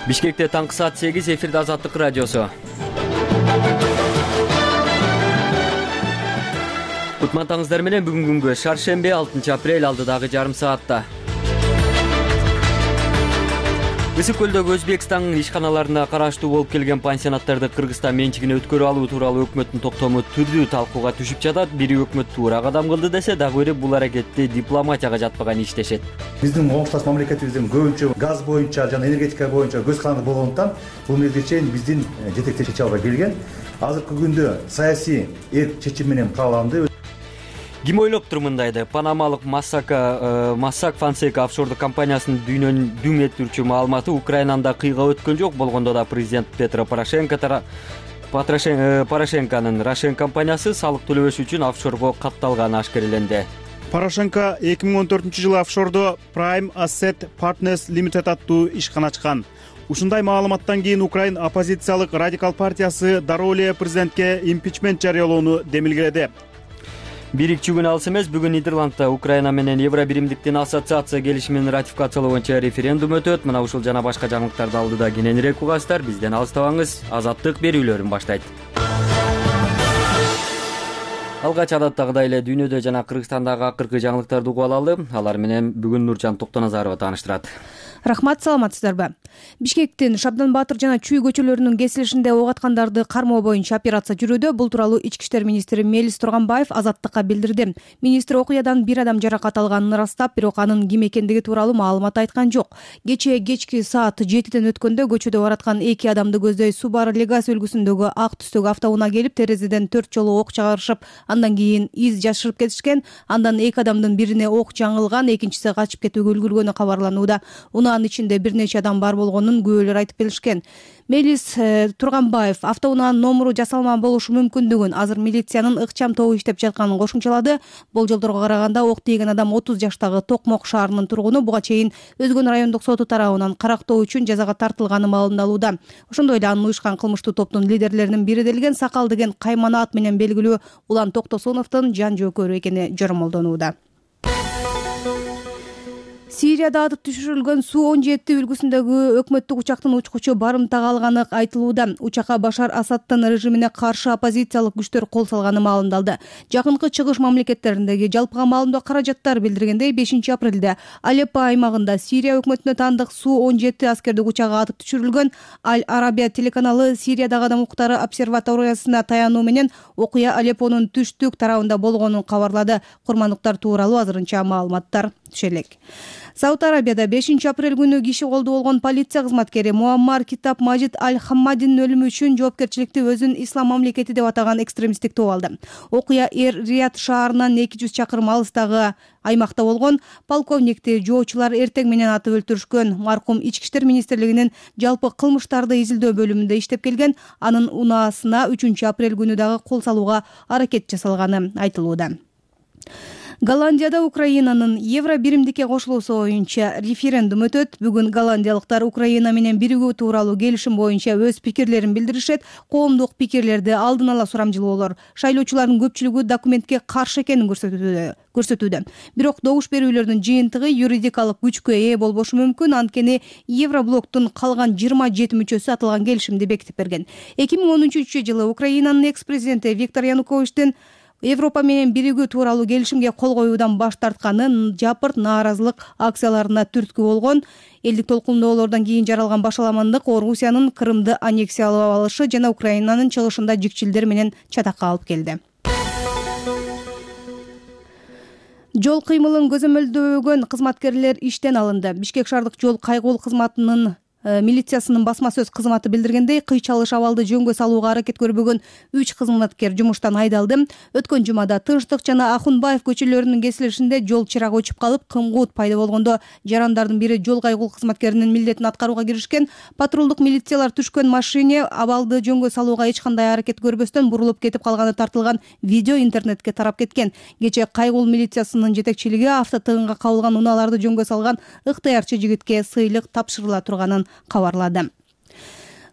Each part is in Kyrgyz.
Бишкекте таңкы саат 8 эфирде Азаттык радиосу. Кутмантаңыздар менен бүгүн күнгө шаршемби 6 апрель алдыдагы жарым саатта. Ысык көлдөгү Өзбекстандын ишканаларына караштуу болуп келген пансионаттарды Кыргызстан менчигине өткөрүп алуу тууралуу өкмөттүн токтому түрдүү талкууга түсүп жатат. Бири өкмөт туура кадам кылды десе, дагы бири бул аракетти дипломатияга жатпаган иш дешет. Биздин оңушташ мамлекетибиздин көбүнчө газ боюнча жана энергетика боюнча көз каранды болгондуктан бул мезгилге чейин биздин жетектер чече албай келген. Азыркы күндө саясий эрк чечим менен кааланды. Ким ойлоптур мындайды? Панамалык Mossack Fonseca офшордук компаниясынын дүйнөнү дүң этүүчү маалыматы Украинада кыйга өткөн жок. Болгондо да президент Петро Порошенконун Рошен компаниясы салык төлөбөш үчүн офшорго катталганы ашкереленди. Порошенко 2014-жылы офшордо Prime Asset Partners Limited аттуу ишкана ачкан. Ушундай маалыматтан кийин Украин оппозициялык радикал партиясы дароо эле президентке импичмент жарыялоону демилгеледи. Бир-2 күн алыс эмес, бүгүн Нидерландта Украина менен Евро биримдиктин ассоциация келишимин ратификациялоо боюнча референдум өтөт. Мына ушул жана башка жаңылыктарды алдыда кененирээк угасыздар. Бизден алыстабаңыз. Азаттык берүүлөрүн баштайт. Алгач адаттагыдай эле дүйнөдө жана Кыргызстандагы акыркы жаңылыктарды угуп алалы. Алар менен бүгүн Нуржан Токтоназарова тааныштырат. Рахмат, саламатсыздарбы? Бишкектин Шабдан Баатыр жана Чүй көчөлөрүнүн кесилишинде ок аткандарды кармоо боюнча операция жүрүүдө. Бул тууралуу Ички иштер министри Мелис Турганбаев Азаттыкка билдирди. Министр окуядан бир адам жаракат алганын ырастап, бирок анын ким экендиги тууралуу маалымат айткан жок. Кечки саат 7ден өткөндө көчөдө бараткан 2 адамды көздөй Subaru Legacy үлгүсүндөгү ак түстөгү автоунаа келип, терезеден 4 жолу ок чыгарышып, андан кийин из жашырып кетишкен. Андан 2 адамдын бирине ок жаңылган, экинчиси качып кетүүгө үлгүргөнү кабарланууда. Унаанын ичинде бир нече адам бар болгонун күбөлөр айтып беришкен. Мелис Турганбаев автоунаанын номуру жасалма болушу мүмкүндүгүн, азыр милициянын ыкчам тобу иштеп жатканын кошумчалады. Болжолдорго караганда ок тийген адам 30 жаштагы Токмок шаарынын тургуну. Буга чейин Өзгөн райондук соту тарабынан карактоо үчүн жазага тартылганы маалымдалууда. Ошондой эле анын уюшкан кылмыштуу топтун лидерлеринин бири делген Сакал деген каймана ат менен белгилүү Улан Токтосуновдун жан жөөкөрү экени жоромолдонууда. Сирияда атып түшүрүлгөн Су-17 үлгүсүндөгү өкмөттүк учактын учкучу барымтага алганы айтылууда. Учакка Башар Асаддын режимине каршы оппозициялык күчтөр кол салганы маалымдалды. Жакынкы чыгыш мамлекеттериндеги жалпыга маалымдоо каражаттар билдиргендей, 5 апрелде Алеппо аймагында Сирия өкмөтүнө таандык Су-17 аскердик учагы атып түшүрүлгөн. Аль-Арабия телеканалы Сириядагы адам укуктары обсерваториясына таянуу менен окуя Алеппонун түштүк тарабында болгонун кабарлады. Курмандыктар тууралуу азырынча маалыматтар түшө элек. Сауд Арабияда 5 апрель күнү киши колду болгон полиция кызматкери Муаммар Китаб Мажид Аль-Хаммадинин өлүмү үчүн жоопкерчиликти өзүн ислам мамлекети деп атаган экстремисттик топ алды. Окуя Рият шаарынан 200 чакырым алыстагы аймакта болгон. Полковникти жоочулар эртең менен атып өлтүрүшкөн. Маркум Ички иштер министрлигинин жалпы кылмыштарды изилдөө бөлүмүндө иштеп келген. Анын унаасына 3 апрель күнү дагы кол салууга аракет жасалганы айтылууда. Голландияда Украинанын Евро биримдикке кошулуусу боюнча референдум өтөт. Бүгүн голландиялыктар Украина менен биригүү тууралуу келишим боюнча өз пикирлерин билдиришет. Коомдук пикирлерди алдын ала сурамжылоолор шайлоочулардын көпчүлүгү документке каршы экенин көрсөтүүдө. Бирок добуш берүүлөрдүн жыйынтыгы юридикалык күчкө ээ болбошу мүмкүн. Анткени Евроблоктун калган 27 мүчөсү аталган келишимди бекитип берген. 2013-жылы Украинанын экс-президенти Виктор Януковичтин Европа менен биригүү тууралуу келишимге кол коюудан баш тартканы жапырт нааразылык акцияларына түрткү болгон. Элдик толкундоолордон кийин жаралган башаламандык Орусиянын Крымды аннексиялап алышы жана Украинанын чыгышында жикчилдер менен чатакка алып келди. Жол кыймылын көзөмөлдөгөн кызматкерлер иштен алынды. Бишкек шаардык жол кайгуул кызматынын милициясынын басма сөз кызматы билдиргендей, кыйчалыш абалды жөнгө салууга аракет көрбөгөн 3 кызматкер жумуштан айдалды. Өткөн жумада Тынчтык жана Ахунбаев көчөлөрүнүн кесилишинде жол чырагы өчүп калып, кымкут пайда болгондо жарандардын бири жол кайгуул кызматкеринин милдетин аткарууга киришкен. Патрулдук милициялар түшкөн машине абалды жөнгө салууга эч кандай аракет көрбөстөн бурулуп кетип калганы тартылган видео интернетке тарап кеткен. Кечээ кайгуул милициясынын жетекчилиги автотыгынга кабылган унааларды жөнгө салган ыктыярчы жигитке сыйлык тапшырыла турганын кабарлады.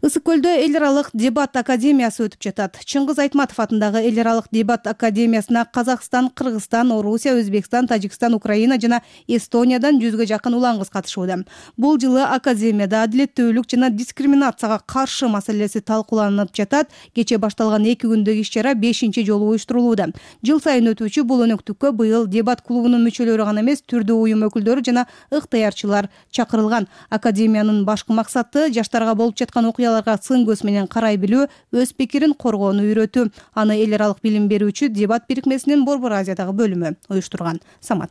Ысык көлдө эл аралык дебат академиясы өтүп жатат. Чыңгыз Айтматов атындагы эл аралык дебат академиясына Казакстан, Кыргызстан, Орусия, Өзбекстан, Тажикстан, Украина жана Эстониядан 100га жакын улан кыз катышууда. Бул жылы академияда адилеттүүлүк жана дискриминацияга каршы маселеси талкууланып жатат. Кечээ башталган 2 күндүк иш-чара 5-чи жолу уюштурулууда. Жыл сайын өтүүчү бул өнөктүккө быйыл дебат клубунун мүчөлөрү гана эмес, түрдүү уюм өкүлдөрү жана ыктыярчылар чакырылган. Академиянын башкы максаты жаштарга болуп жаткан окуяларга сын көз менен карай билүү, өз пикирин коргоону үйрөтүү. Аны эл аралык билим берүүчү дебат бирикмесинин Борбор Азиядагы бөлүмү уюштурган. Самат.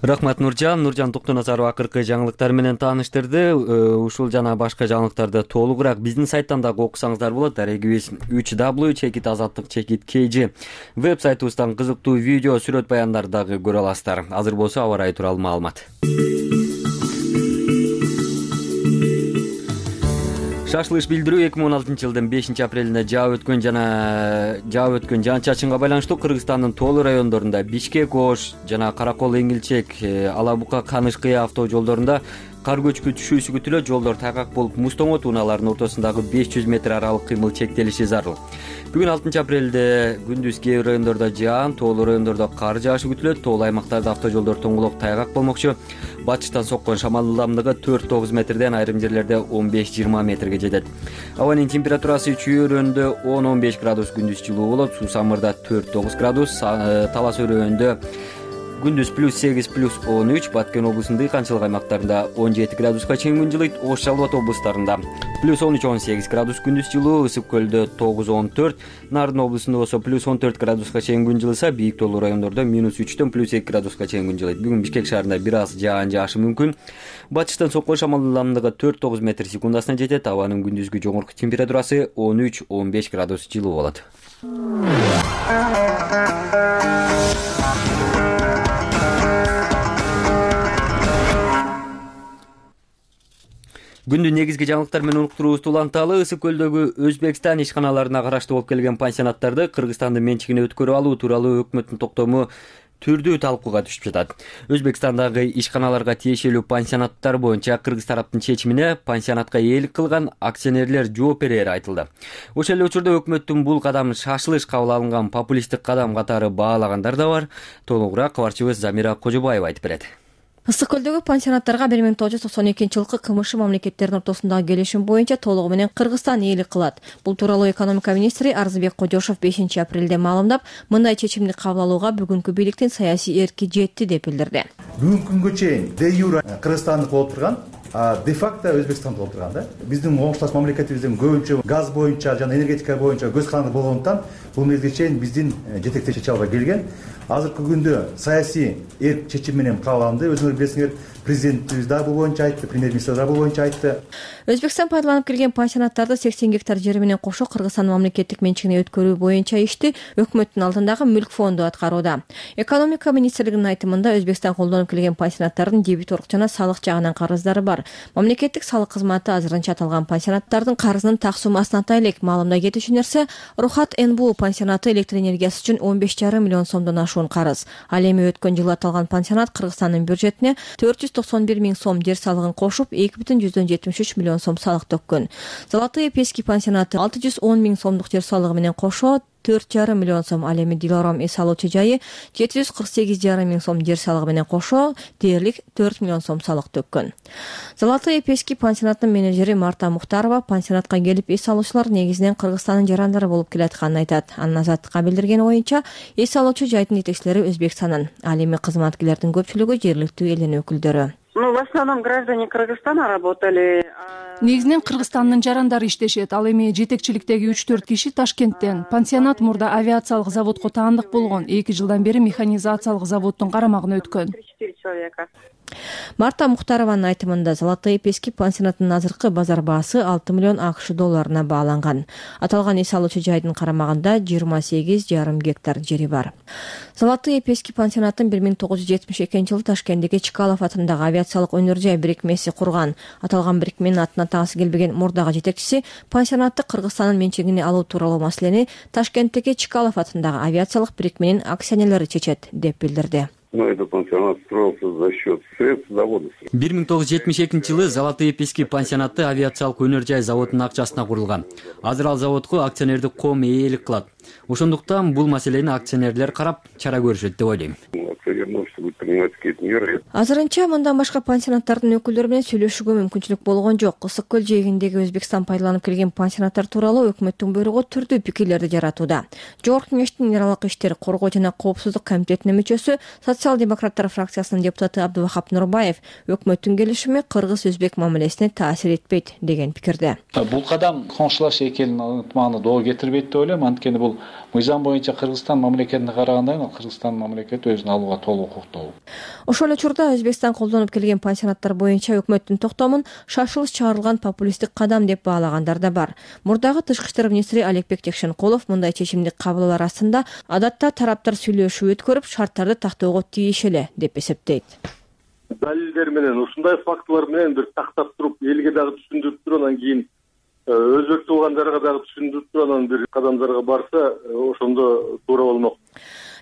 Рахмат Нуржан Токтоназарова акыркы жаңылыктар менен тааныштырды. Ушул жана башка жаңылыктарды толугураак биздин сайттан дагы окусаңыздар болот. Дарегибиз www.azаттык.kg веб сайтыбыздан кызыктуу видео, сүрөт баяндар дагы көрө аласыздар. Азыр болсо аба ырайы тууралуу маалымат. Шашылыш билдирүү 2016-жылдын 5-апрелинде жаап өткөн жаан-чачынга байланыштуу Кыргызстандын тоолуу райондорунда Бишкек, Ош жана Каракол, Эңилчек, Алабука, Каныш-Кыя автожолдорунда кар көчкү түшүүсү күтүлөт. Жолдор тайгак болуп, муз-тоңо тууналарынын ортосундагы 500 метр аралык кыймыл чектелиши зарыл. Бүгүн 6-апрелде күндүз кээ бир райондордо жаан, тоолуу райондордо кар жаашы күтүлөт. Тоолуу аймактарда автожолдор тоңголок тайгак болмокчу. Батыштан соккон шамал ылдамдыгы 4-9 метрден, айрым жерлерде 15-20 метрге жетет. Абанын температурасы чүйөрөндө 10-15 градус күндүз жылуу болот. Суу-самырда 4-9 градус, Талас өрөөндө күндүз +8 +13, Баткен облусунун дыйканчылык аймактарында 17 градуска чейин күн жылыйт. Ош, Жалал Абад облустарында +13-18 градус күндүз жылуу, Ысык көлдө 9-14, Нарын облусунда болсо +14 градуска чейин күн жылыса, бийик тоолуу райондордо -3-төн +2 градуска чейин күн жылыйт. Бүгүн Бишкек шаарында бир аз жаан жаашы мүмкүн. Батыштан соккон шамал ылдамдыгы 4-9 метр секундасына жетет. Абанын күндүзгү жогорку температурасы 13-15 градус жылуу болот. Күндүн негизги жаңылыктар менен уктуруубузду уланталы. Ысык көлдөгү Өзбекстан ишканаларына караштуу болуп келген пансионаттарды Кыргызстандын менчигине өткөрүп алуу тууралуу өкмөттүн токтому түрдүү талкууга түшүп жатат. Өзбекстандагы ишканаларга тиешелүү пансионаттар боюнча кыргыз тараптын чечимине пансионатка ээлик кылган акционерлер жооп берери айтылды. Ошол эле учурда өкмөттүн бул кадамын шашылыш кабыл алынган популисттик кадам катары баалагандар да бар. Толугураак кабарчыбыз Замира Кожобаева айтып берет. Ысык көлдөгү пансионаттарга 1992-жылкы КМШ мамлекеттеринин ортосундагы келишим боюнча толугу менен Кыргызстан ээлик кылат. Бул тууралуу экономика министри Арзыбек Кожошов 5-апрелде маалымдап, мындай чечимди кабыл алууга бүгүнкү бийликтин саясий эрки жетти деп билдирди. Бүгүнкү күнгө чейин де юра Кыргызстандык болуп турган, де факто Өзбекстан болуп турган да. Биздин оңушташ мамлекетибиздин көбүнчө газ боюнча жана энергетика боюнча көз каранды болгондуктан бул мезгилге чейин биздин жетектеп чече албай келген. Азыркы күндө саясий эрк чечим менен кабыл алынды. Өзүңөр билесиңер, президентибиз да бул боюнча айтты, премьер-министр да бул боюнча айтты. Өзбекстан пайдаланып келген пансионаттарды 80 гектар жери менен кошо Кыргызстандын мамлекеттик менчигине өткөрүү боюнча ишти өкмөттүн алдындагы мүлк фонду аткарууда. Экономика министрлигинин айтымында Өзбекстан колдонуп келген пансионаттардын дебиторлук жана салык жагынан карыздары бар. Мамлекеттик салык кызматы азырынча аталган пансионаттардын карызынын так суммасын атай элек. Маалымда кетүүчү нерсе, Рухат НБУ пансионаты электр энергиясы үчүн 15,5 миллион сомдон ашуун карыз. Ал эми өткөн жылы аталган пансионат Кыргызстандын бюджетине 491 миң сом жер салыгын кошуп, 2,73 миллион сом салык төккөн. Золотые пески пансионаты 610 миң сомдук жер салыгы менен кошо 4,5 миллион сом, ал эми Дилором эс алуучу жайы 748,5 миң сом жер салыгы менен кошо дээрлик 4 миллион сом салык төккөн. Золотые пески пансионатынын менеджери Марта Мухтарова пансионатка келип эс алуучулар негизинен Кыргызстандын жарандары болуп келатканын айтат. Анын Азаттыкка билдирген оюнча, эс алуучу жайдын жетекчилери Өзбекстандын, ал эми кызматкерлердин көпчүлүгү жергиликтүү элдин өкүлдөрү. В основном граждане Кыргызстана работали. Негизинен Кыргызстандын жарандары иштешет. Ал эми жетекчиликтеги 3-4 киши Ташкенттен. Пансионат мурда авиациялык заводко таандык болгон. 2 жылдан бери механизациялык заводдун карамагына өткөн. 3-4 человека. Марта Мухтарованын айтымында Золотые пески пансионатынын азыркы базар баасы 6 миллион АКШ долларына бааланган. Аталган эс алуучу жайдын карамагында 28,5 гектар жери бар. Золотые пески пансионатын 1972-жылы Ташкенттеги Чкалов атындагы авиациялык өнөр жай бирикмеси курган. Аталган бирикменин атына атагысы келбеген мурдагы жетекчиси пансионатты Кыргызстандын менчигине алуу тууралуу маселени Ташкенттеги Чкалов атындагы авиациялык бирикменин акционерлери чечет деп билдирди. Но этот пансионат строился за счет средств завода. 1972 Золотые пески пансионаты авиациялык өнөр жай заводунун акчасына курулган. Азыр ал заводко акционердик коом ээлик кылат. Ошондуктан бул маселени акционерлер карап чара көрүшөт деп ойлойм. Азырынча мындан башка пансионаттардын өкүлдөрү менен сүйлөшүүгө мүмкүнчүлүк болгон жок. Ысык көл жээгиндеги Өзбекстан пайдаланып келген пансионаттар тууралуу өкмөттүн буйругу түрдүү пикирлерди жаратууда. Жогорку кеңештин Нералык иштер, коргоо жана коопсуздук комитетинин мүчөсү, социал-демократтар фракциясынын депутаты Абдувахап Нурбаев өкмөттүн келишими кыргыз-өзбек мамилесине таасир этпейт деген пикирде. Бул кадам коңшулаш эки элдин ынтымагына доо кетирбейт деп ойлойм. Анткени бул мыйзам боюнча Кыргызстан мамлекетине караганда Кыргызстан мамлекети өзүн алууга толук укуктуу. Ошол эле учурда Өзбекстан колдонуп келген пансионаттар боюнча өкмөттүн токтомун шашылыш чыгарылган популисттик кадам деп баалагандар да бар. Мурдагы тышкы иштер министри Аликбек Текшенкулов мындай чечимди кабыл алар астында адатта тараптар сүйлөшүү өткөрүп, шарттарды тактоого тийиш эле деп эсептейт. Далилдер менен, ушундай фактылар менен бир тактап туруп, элге дагы түшүндүрүп туруп, анан кийин өзбек туугандарга дагы түшүндүрүп туруп, анан бир кадамдарга барса, ошондо туура болмок.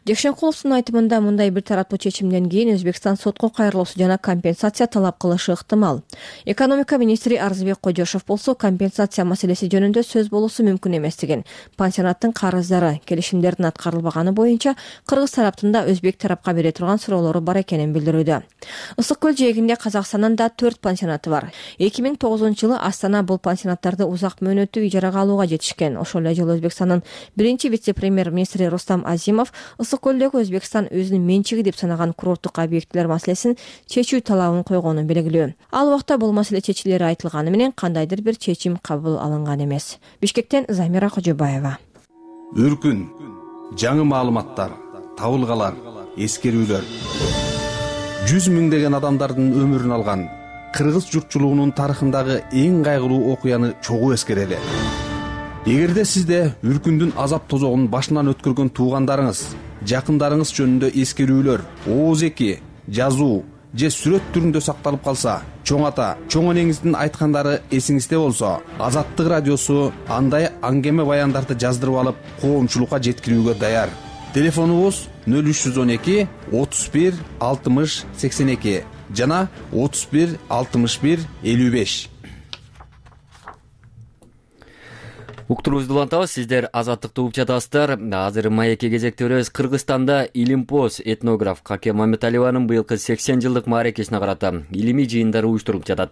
Текшенкуловдун айтымында мындай бир тараптуу чечимден кийин Өзбекстан сотко кайрылуусу жана компенсация талап кылышы ыктымал. Экономика министри Арзыбек Кожошов болсо компенсация маселеси жөнүндө сөз болуусу мүмкүн эместигин, пансионаттын карыздары келишимдердин аткарылбаганы боюнча кыргыз тараптында өзбек тарапка бере турган суроолору бар экенин билдирүүдө. Ысык көл жээгинде Казакстандын да 4 пансионаты бар. 2009-жылы Астана бул пансионаттарды узак мөөнөттүү ижарага алууга жетишкен. Ошол эле жылы Өзбекстандын биринчи вице-премьер-министри Рустам Азимов Көлдөгү Өзбекстан өзүнүн менчиги деп санаган курорттук объектилер маселесин чечүү талабын койгонун белгилөө. Ал убакта бул маселе чечилери айтылганы менен кандайдыр бир чечим кабыл алынган эмес. Бишкектен Замира Кожобаева. Үркүн, жаңы маалыматтар, табылгалар, эскерүүлөр. 100 миңдеген адамдардын өмүрүн алган кыргыз журтчулугунун тарыхындагы эң кайгылуу окуяны чогуу эскерели. Эгерде сизде үркүндүн азап тозогун башынан өткөргөн туугандарыңыз, жакындарыңыз жөнүндө эскерүүлөр, ооз-эки, жазуу же сүрөт түрүндө сакталып калса, чоң ата, чоң энеңиздин айткандары эсиңизде болсо, Азаттык радиосу андай аңгеме баяндарды жаздырып алып, коомчулукка жеткирүүгө даяр. Телефонубуз 0312 31 60 82 жана 31 61 55. Уктуруубузду улантабыз, сиздер Азаттыкты угуп жатасыздар. Азыр маекке кезектебиз. Кыргызстанда Илимпоз этнограф Каке Мамбеталиеванын быйылкы 80 жылдык мааракесине карата илимий жыйындар уюштурулуп жатат.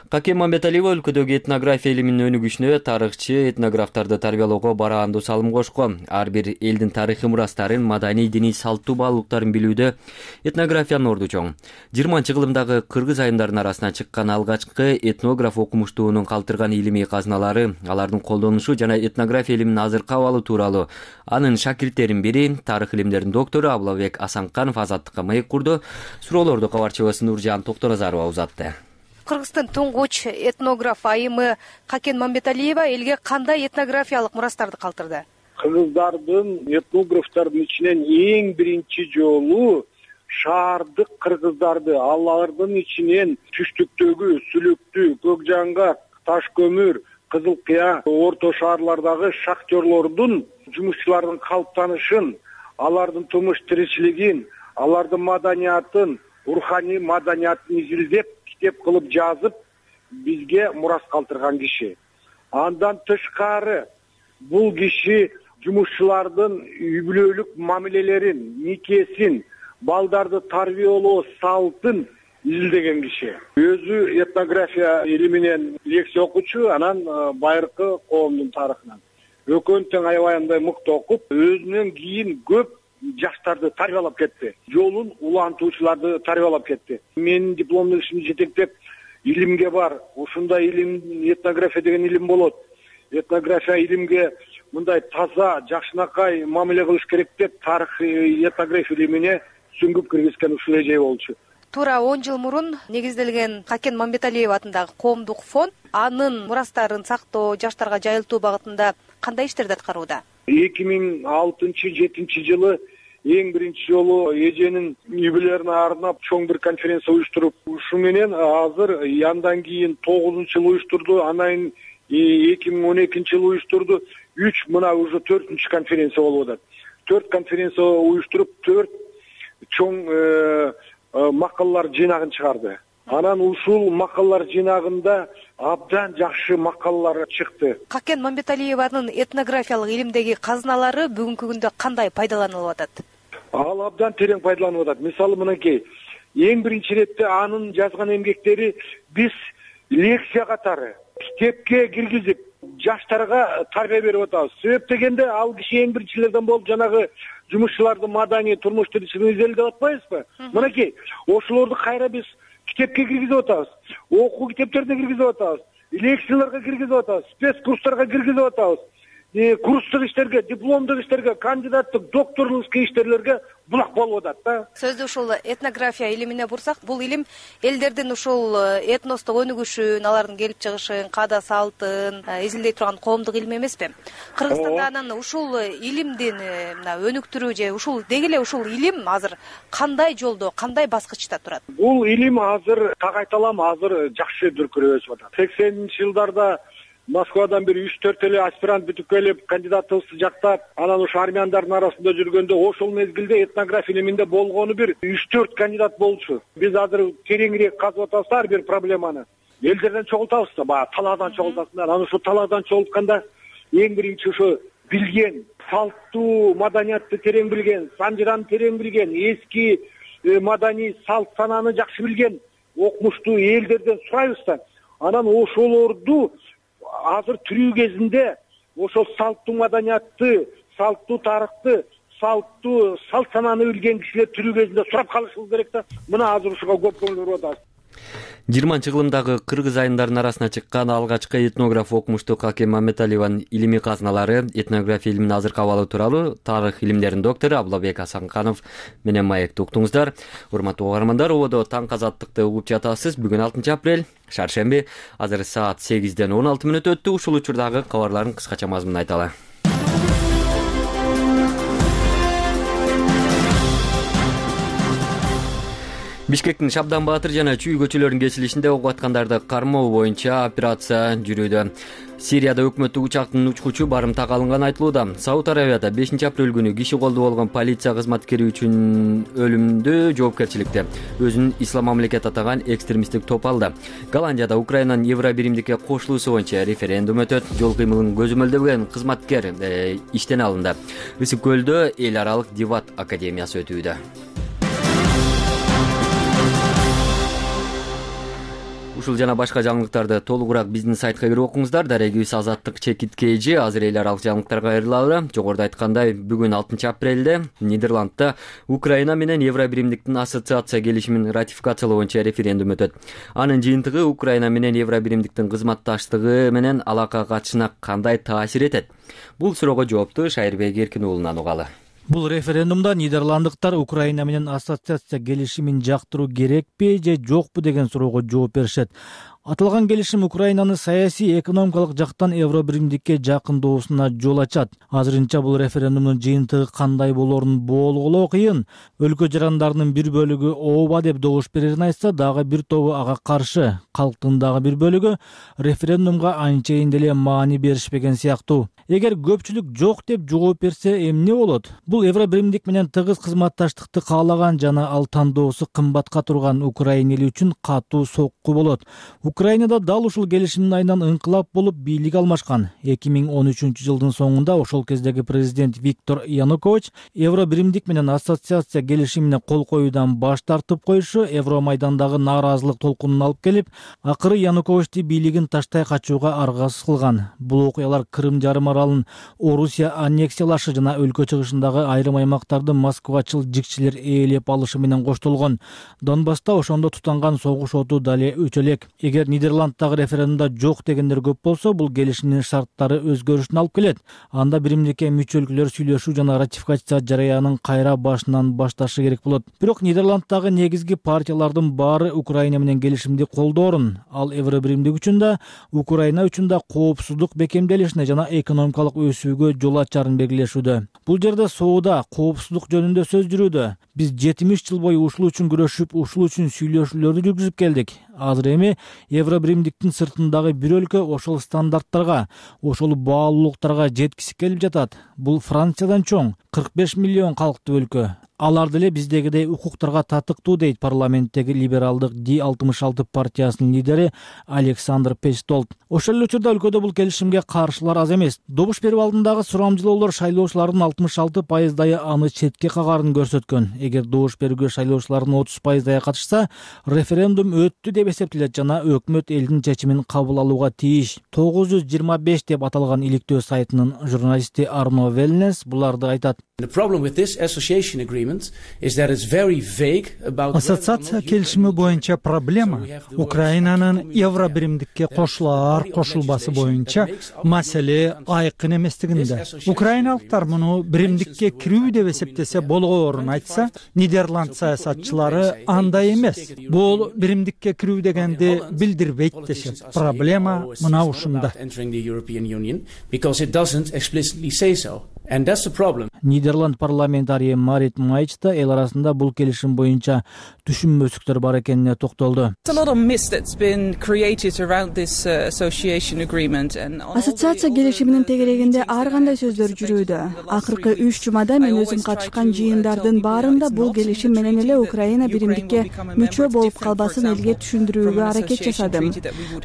Каке Мамбеталиева өлкөдөгү этнография илиминин өнүгүшүнө тарыхчы этнографтарды тарбиялоого бараандуу салым кошкон. Ар бир элдин тарыхый мурастарын, маданий, диний салттуу баалуулуктарын билүүдө этнографиянын орду чоң. 20-кылымдагы кыргыз айымдарынын арасынан чыккан алгачкы этнограф окумуштуунун калтырган илимий казыналары, алардын колдонушу жана этнография илиминин азыркы абалы тууралуу анын шакирттеринин бири, тарых илимдеринин доктору Абылбек Асанканов Азаттыкка маек курду. Суроолорду кабарчыбыз Нуржан Токторазарова узатты. Кыргыздын туңгуч этнограф айымы Какен Мамбеталиева элге кандай этнографиялык мурастарды калтырды? Кыргыздардын, этнографтардын ичинен эң биринчи жолу шаардык кыргыздарды, алардын ичинен түштүктөгү, Сүлүктү, Көкжаңгак, Таш көмүр, Кызыл Кыя, орто шаарлардагы шахтерлордун, жумушчулардын калыптанышын, алардын турмуш тиричилигин, алардын маданиятын, руханий маданиятын изилдеп, китеп кылып жазып, бизге мурас калтырган киши. Андан тышкары бул киши жумушчулардын үй бүлөлүк мамилелерин, никесин, балдарды тарбиялоо салтын изилдеген киши. Өзү этнография илиминен лекция окучу, анан байыркы коомдун тарыхынан. Экөөнү тең аябай мыкты окуп, өзүнөн кийин көп жаштарды тарбиялап кетти. Жолун улантуучуларды тарбиялап кетти. Менин дипломдук ишимди жетектеп, илимге бар. Ушундай илим, этнография деген илим болот. Этнография илимге мындай таза, жакшынакай мамиле кылыш керек деп, тарых этнография илимине сүңгүп киргизген ушул эже болчу. Туура 10 жыл мурун негизделген Какен Мамбеталиева атындагы коомдук фонд анын мурастарын сактоо, жаштарга жайылтуу багытында кандай иштерди аткарууда? 2006-2007 жылы эң биринчи жолу эженин үй бүлөлөрүнө арнап чоң бир конференция уюштуруп, ушу менен азыр андан кийин 9-жылы уюштурду, анан 2012-жылы уюштурду. 3 мына уже 4-конференция болуп атат. 4 конференция уюштуруп, 4 чоң макалалар жыйнагын чыгарды. Анан ушул макалалар жыйнагында абдан жакшы макалалар чыкты. Какен Мамбеталиеванын этнографиялык илимдеги казыналары бүгүнкү күндө кандай пайдаланылып атат? Ал абдан терең пайдаланып атат. Мисалы мынакей, эң биринчи иретте анын жазган эмгектери биз лекция катары китепке киргизип жаштарга тарбия берип атабыз. Себеп дегенде ал киши эң биринчилерден болуп жанагы жумушчуларды маданий турмуш тиричилигин изелеп атпайбызбы? Мынакей, ошолорду кайра биз китепке киргизип атабыз, окуу китептерине киргизип атабыз, лекцияларга киргизип атабыз, спец курстарга киргизип атабыз, курстук иштерге, дипломдук иштерге, кандидаттык, докторлук иштерлерге булак болуп атат да. Сөздү ушул этнография илимине бурсак, бул илим элдердин ушул этностук өнүгүшүн, алардын келип чыгышын, каада салтын изилдей турган коомдук илим эмеспи? Кыргызстанда анан ушул илимдин өнүктүрүү же ушул деги эле ушул илим азыр кандай жолдо, кандай баскычта турат? Бул илим азыр так айталам, азыр жакшы дүркүрөп өсүп атат. 80-чи жылдарда Москвадан бир 3-4 эле аспирант бүтүп келип, кандидатыбызды жактап, анан ошо армяндардын арасында жүргөндө ошол мезгилде этнография илиминде болгону бир 3-4 кандидат болчу. Биз азыр тереңирээк казып атабыз ар бир проблеманы. Элдерден чогултабыз да, баягы талаадан чогултасыңдар. Анан ошо талаадан чогултканда эң биринчи ошо билген, салттуу маданиятты терең билген, санжыраны терең билген, эски маданий салт санааны жакшы билген окумуштуу элдерден сурайбыз да. Анан ошолорду азыр тирүү кезинде ошол салттуу маданиятты, салттуу тарыхты, салттуу салт санааны билген кишилер тирүү кезинде сурап калышыбыз керек да. Мына азыр ушуга көп көңүл буруп атабыз. 20-кылымдагы кыргыз айымдарынын арасына чыккан алгачкы этнограф окумуштуу Какен Мамбеталиеванын илимий казыналары, этнография илиминин азыркы абалы тууралуу тарых илимдеринин доктору Абылбек Асанканов менен маекти уктуңуздар. Урматтуу угармандар, ободо таң азаттыкты угуп жатасыз. Бүгүн 6 апрель, шаршемби, азыр саат 8-ден 16 мүнөт өттү. Ушул учурдагы кабарлардын кыскача мазмунун айталы. Бишкектин Шабдан Баатыр жана Чүй көчөлөрүнүн кесилишинде ок аткандарды кармоо боюнча операция жүрүүдө. Сирияда өкмөттүк учактын учкучу барымтага алынганы айтылууда. Сауд Арабияда 5 апрель күнү киши колдуу болгон полиция кызматкери үчүн өлүмдү жоопкерчиликти өзүнүн ислам мамлекет атаган экстремисттик топ алды. Голландияда Украинанын Евробиримдикке кошулуусу боюнча референдум өтөт. Жол кыймылын көзөмөлдөгөн кызматкер иштен алынды. Ысык көлдө эл аралык дебат академиясы өтүүдө. Ушул жана башка жаңылыктарды толугураак биздин сайтка кирип окуңуздар. Дарегибиз Азаттык чекиткейжи. Азыр эл аралык жаңылыктарга кайрылалы. Жогоруда айткандай, бүгүн 6 апрелде Нидерландда Украина менен Евробиримдиктин ассоциация келишимин ратификациялоо боюнча референдум өтөт. Анын жыйынтыгы Украина менен Евробиримдиктин кызматташтыгы менен алака катышына кандай таасир этет? Бул суроого жоопту Шайырбек Эркин уулунан угалы. Бул референдумда нидерланддыктар Украина менен ассоциация келишимин жактыруу керекпи же жокпу деген суроого жооп беришет. Аталган келишим Украинаны саясий, экономикалык жактан Евробиримдикке жакындоосуна жол ачат. Азырынча бул референдумдун жыйынтыгы кандай болорун болгулоо кыйын. Өлкө жарандарынын бир бөлүгү ооба деп добуш берерин айтса, дагы бир тобу ага каршы. Калктын дагы бир бөлүгү референдумга анчейин деле маани беришпеген сыяктуу. Эгер көпчүлүк жок деп жооп берсе, эмне болот? Бул Евробиримдик менен тыгыз кызматташтыкты каалаган жана ал тандоосу кымбатка турган Украина эли үчүн катуу сокку болот. Украинада дал ушул келишимдин айынан ыңкылап болуп бийлик алмашкан. 2013-жылдын соңунда ошол кездеги президент Виктор Янукович Евробиримдик менен ассоциация келишимине кол коюудан баш тартып коюшу Евромайдандагы нааразылык толкунун алып келип, акыры Януковичти бийлигин таштай качууга аргасыз кылган. Бул окуялар Крым жарым аралын Орусия аннексиялашы жана өлкө чыгышындагы айрым аймактарды москвачыл жикчилер ээлеп алышы менен коштолгон. Донбасста ошондо тутанган согуш оту дале өчө элек. Эгер Нидерланддагы референдумда жок дегендер көп болсо, бул келишимдин шарттары өзгөрүшүн алып келет. Анда биримдикке мүчө өлкөлөр сүйлөшүү жана ратификация жараянын кайра башынан башташы керек болот. Бирок Нидерланддагы негизги партиялардын баары Украина менен келишимди колдоорун, ал Евробиримдик үчүн да, Украина үчүн да коопсуздук бекемделишине жана экономикалык өсүүгө жол ачарын белгилешүүдө. Бул жерде соода, коопсуздук жөнүндө сөз жүрүүдө. Биз 70 жыл бою ушул үчүн күрөшүп, ушул үчүн сүйлөшүүлөрдү жүргүзүп келдик. Азыр эми Евробиримдиктин сыртындагы бир өлкө ошол стандарттарга, ошол баалуулуктарга жеткиси келип жатат. Бул Франциядан чоң, 45 миллион калктуу өлкө. алар деле биздегидей укуктарга татыктуу, дейт парламенттеги либералдык Ди-66 партиясынын лидери Александр Пестолт. Ошол эле учурда өлкөдө бул келишимге каршылар аз эмес. Добуш берүү алдындагы сурамжылоолор шайлоочулардын 66% аны четке кагарын көрсөткөн. Эгер добуш берүүгө шайлоочулардын 30% катышса, референдум өттү деп эсептелет жана өкмөт элдин чечимин кабыл алууга тийиш. 925 деп аталган иликтөө сайтынын журналисти Арно Велнес буларды айтат. Ассоциация келишими боюнча проблема Украинанын евробиримдикке кошулар кошулбасы боюнча маселе айкын эместигинде. Украиналыктар муну биримдикке кирүү деп эсептесе болгоорун айтса, Нидерланд саясатчылары андай эмес. Бул биримдикке кирүү дегенди билдирбейт дешет. Проблема мына ушунда. Нидерланд парламентарийи Марит Майч да эл арасында бул келишим боюнча түшүнбөстүктөр бар экенине токтолду. Ассоциация келишиминин тегерегинде ар кандай сөздөр жүрүүдө. Акыркы 3 жумада мен өзүм катышкан жыйындардын баарында бул келишим менен эле Украина биримдикке мүчө болуп калбасын элге түшүндүрүүгө аракет жасадым.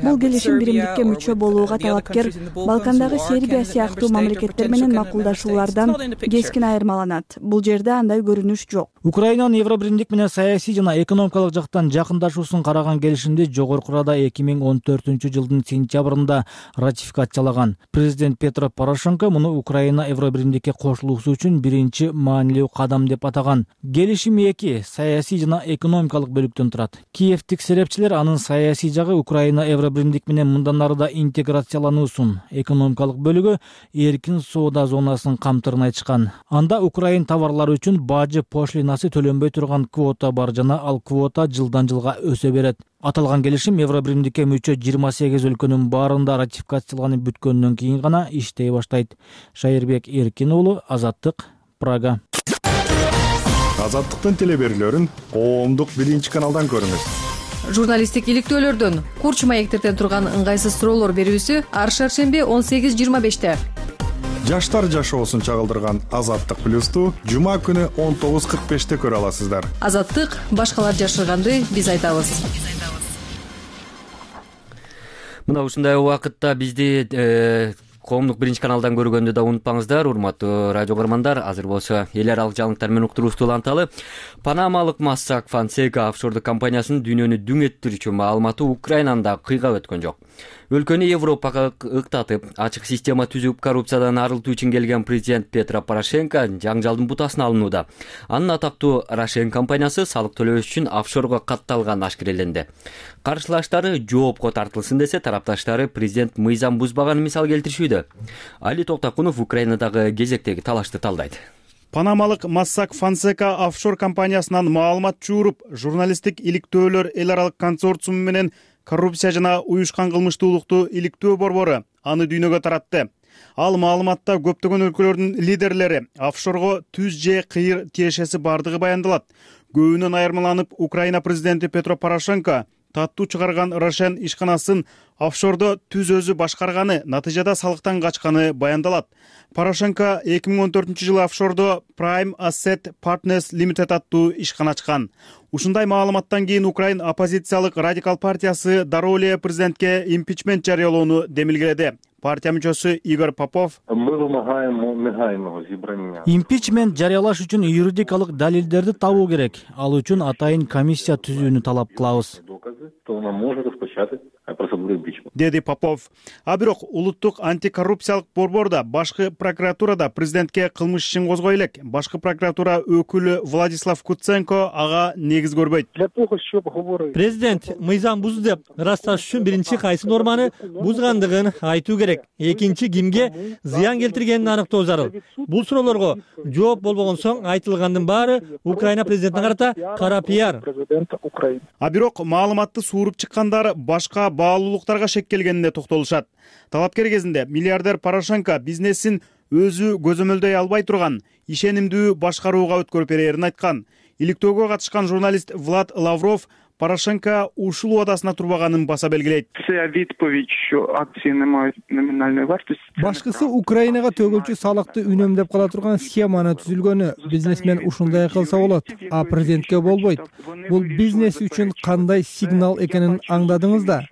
Бул келишим биримдикке мүчө болууга талапкер Балкандагы Сербия сыяктуу мамлекеттер менен макулдашуулардан кескин айырмаланат. Бул жерде андай көрүнүш жок. Украинанын евробиримдик менен саясий жана экономикалык жактан жакындашуусун караган келишимди Жогорку Рада 2014-жылдын сентябрында ратификациялаган. Президент Петро Порошенко муну Украина евробиримдикке кошулуусу үчүн биринчи маанилүү кадам деп атаган. Келишим 2 саясий жана экономикалык бөлүктөн турат. Киевтик серепчилер анын саясий жагы Украина евробиримдик менен мындан ары да интеграциялануусун, экономикалык бөлүгү эркин соода зонасын камтырын айтышкан. Анда Украин товарлары үчүн бажы пошлинасы төлөнбөй турган квота бар жана ал квота жылдан жылга өсө берет. Аталган келишим евробиримдикке мүчө 28 өлкөнүн баарында ратификацияланып бүткөндөн кийин гана иштей баштайт. Шайырбек Эркин уулу, Азаттык, Прага. Азаттыктын телеберүүлөрүн коомдук 1-каналдан көрүңүз. Журналисттик иликтөөлөрдөн, курч маектерден турган ыңгайсыз суроолор берүүсү ар шаршемби 18:25. Жаштар жашоосун чагылдырган Азаттык плюсту жума күнү 19:45 көрө аласыздар. Азаттык башкалар жашырганды биз айтабыз. Мына ушундай убакытта бизди коомдук 1-каналдан көргөндү да унутпаңыздар, урматтуу радио көрөрмандар. Азыр болсо эл аралык жаңылыктар менен уктуруубузду уланталы. Панамалык Mossack Fonseca офшордук компаниясынын дүйнөнү дүң ettирүүчү маалыматы Украинаны да кыйгап өткөн жок. Өлкөнү Европага ыктатып, ачык система түзүп коррупциядан арылтуу үчүн келген президент Петро Порошенко жаңжалдын бутасына алынууда. Анын атактуу Рошен компаниясы салык төлөбөш үчүн офшорго катталганы ашкереленди. Каршылаштары жоопко тартылсын десе, тарапташтары президент мыйзам бузбаганын мисал келтиришүүдө. Али Токтакунов Украинадагы кезектеги талашты талдайт. Панамалык Mossack Fonseca офшор компаниясынан маалымат чууруп, журналисттик иликтөөлөр эл аралык консорциуму менен коррупция жана уюшкан кылмыштуулукту иликтөө борбору аны дүйнөгө таратты. Ал маалыматта көптөгөн өлкөлөрдүн лидерлери офшорго түз же кыйыр тиешеси бардыгы баяндалат. Көбүнөн айырмаланып, Украина президенти Петро Порошенко таттуу чыгарган Рошен ишканасын офшордо түз өзү башкарганы, натыйжада салыктан качканы баяндалат. Порошенко 2014-жылы офшордо Prime Asset Partners Limited аттуу ишкана ачкан. Ушундай маалыматтан кийин Украин оппозициялык радикал партиясы дароо эле президентке импичмент жарыялоону демилгеледи. Партия мүчөсү Игорь Попов импичмент жарыялаш үчүн юридикалык далилдерди табуу керек. Ал үчүн атайын комиссия түзүүнү талап кылабыз, деди Попов. А бирок улуттук антикоррупциялык борбордо башкы прокуратурада президентке кылмыш ишин козгой элек. Башкы прокуратура өкүлү Владислав Куценко ага негиз көрбөйт. Президент мыйзам бузду деп ырасташ үчүн биринчи кайсы норманы бузгандыгын айтуу керек. Экинчи кимге зыян келтиргенин аныктоо зарыл. Бул суроолорго жооп болбогон соң айтылгандын баары Украина президентине карата кара пиар. А бирок маалыматты сууруп чыккандар башка баалуулуктарга шек келгенине токтолушат. Талапкер кезинде миллиардер Порошенко бизнесин өзү көзөмөлдөй албай турган ишенимдүү башкарууга өткөрүп берерин айткан. Иликтөөгө катышкан журналист Влад Лавров Порошенко ушул убадасына турбаганын баса белгилейт. Башкысы Украинага төгүлчү салыкты үнөмдөп кала турган схеманы түзүлгөнү. Бизнесмен ушундай кылса болот, а президентке болбойт. Бул бизнес үчүн кандай сигнал экенин аңдадыңыз да.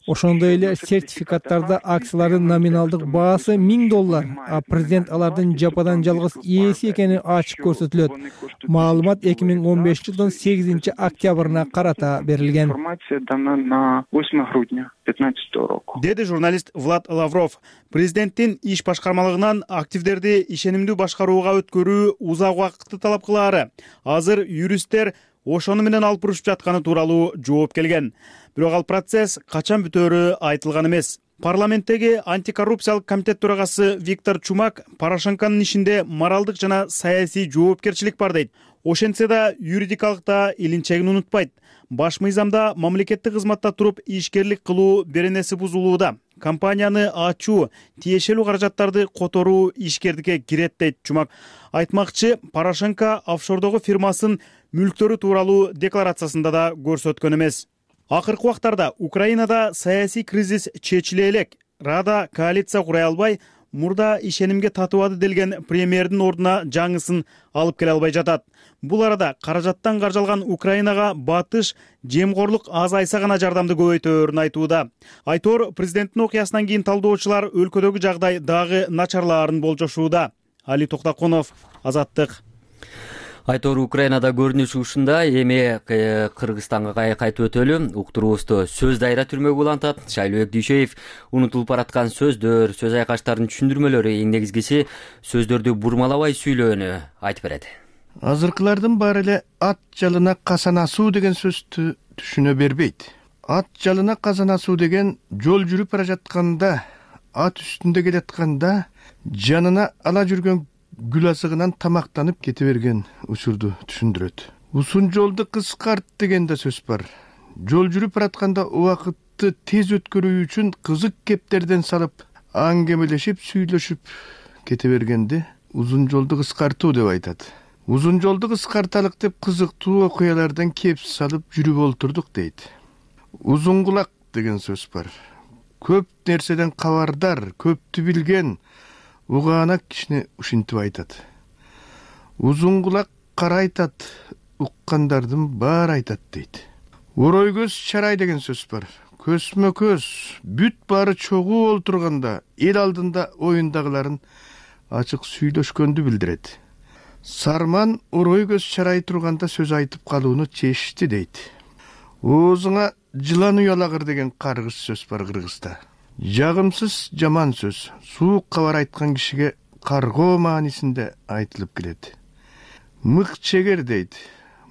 Ошондой эле сертификаттарда акциялардын номиналдык баасы $1000, а президент алардын жападан жалгыз ээси экени ачык көрсөтүлөт. Маалымат 2015 жылдын 8 октябрына карата берилген. Деди журналист Влад Лавров. Президенттин иш башкармалыгынан активдерди ишенимдүү башкарууга өткөрүү узак убакытты талап кылаары. Азыр юристтер ошону менен алып урушуп жатканы тууралуу жооп келген. Бирок ал процесс качан бүтөөрү айтылган эмес. Парламенттеги антикоррупциялык комитет төрагасы Виктор Чумак Порошенконун ишинде моралдык жана саясий жоопкерчилик бар дейт. Ошентсе да юридикалык да илинчегин унутпайт. Баш мыйзамда мамлекеттик кызматта туруп ишкерлик кылуу беренеси бузулууда. Компанияны ачуу, тиешелүү каражаттарды которуу ишкердикке кирет дейт Чумак. Айтмакчы, Порошенко офшордогу фирмасын мүлктөрү тууралуу декларациясында да көрсөткөн эмес. Акыркы убактарда Украинада саясий кризис чечиле элек. Рада коалиция курай албай, мурда ишенимге татыбады делген премьердин ордуна жаңысын алып келе албай жатат. Бул арада каражаттан каржалган Украинага батыш, жемкорлук азайса гана жардамды көбөйтөөрүн айтууда. Айтор президенттин окуясынан кийин талдоочулар өлкөдөгү жагдай дагы начарлаарын болжошууда. Али Токтакунов, Азаттык. Айтор Украинада көрүнүшү ушундай. Эми Кыргызстанга кайтып өтөлү. Уктуруубузду сөз дайра түрмөгө улантат. Шайлообек Дүйшөев унутулуп бараткан сөздөр, сөз айкаштардын түшүндүрмөлөрү, эң негизгиси сөздөрдү бурмалабай сүйлөөнү айтып берет. Азыркылардын баары эле ат жалына казан асуу деген сөздү түшүнө бербейт. Ат жалына казан асуу деген жол жүрүп бара жатканда, ат үстүндө келатканда жанына ала жүргөн гүл азыгынан тамактанып кете берген учурду түшүндүрөт. Узун жолду кыскарт деген да сөз бар. Жол жүрүп баратканда убакытты тез өткөрүү үчүн кызык кептерден салып, аңгемелешип, сүйлөшүп кете бергенди узун жолду кыскартуу деп айтат. Узун жолду кыскарталык деп кызыктуу окуялардан кеп салып жүрүп олтурдук дейт. Узун кулак деген сөз бар. Көп нерседен кабардар, көптү билген, угаанак кишини ушинтип айтат. Узун кулак кара айтат, уккандардын баары айтат дейт. Орой көз чарай деген сөз бар. Көзмө көз, бүт баары чогуу олтурганда эл алдында оюндагыларын ачык сүйлөшкөндү билдирет. Сарман орой көз чарай турганда сөз айтып калууну чечти дейт. Оозуңа жылан уялагыр деген каргыш сөз бар Кыргызда. Жагымсыз жаман сөз, суук кабар айткан кишиге каргоо маанисинде айтылып келет. Мык чегер дейт.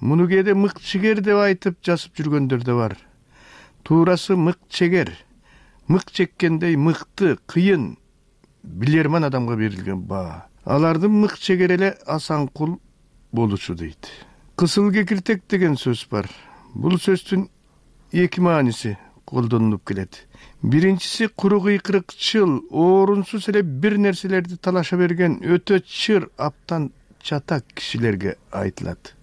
Муну кээде мык чегер деп айтып жазып жүргөндөр да бар. Туурасы мык чегер. Мык чеккендей мыкты, кыйын, билерман адамга берилген баа. Алардын мык чегер эле Асанкул болушу дейт. Кысыл кекиртек деген сөз бар. Бул сөздүн эки мааниси колдонулуп келет. Биринчиси куру кыйкырыкчыл, орунсуз эле бир нерселерди талаша берген өтө чыр, аптан чатак кишилерге айтылат.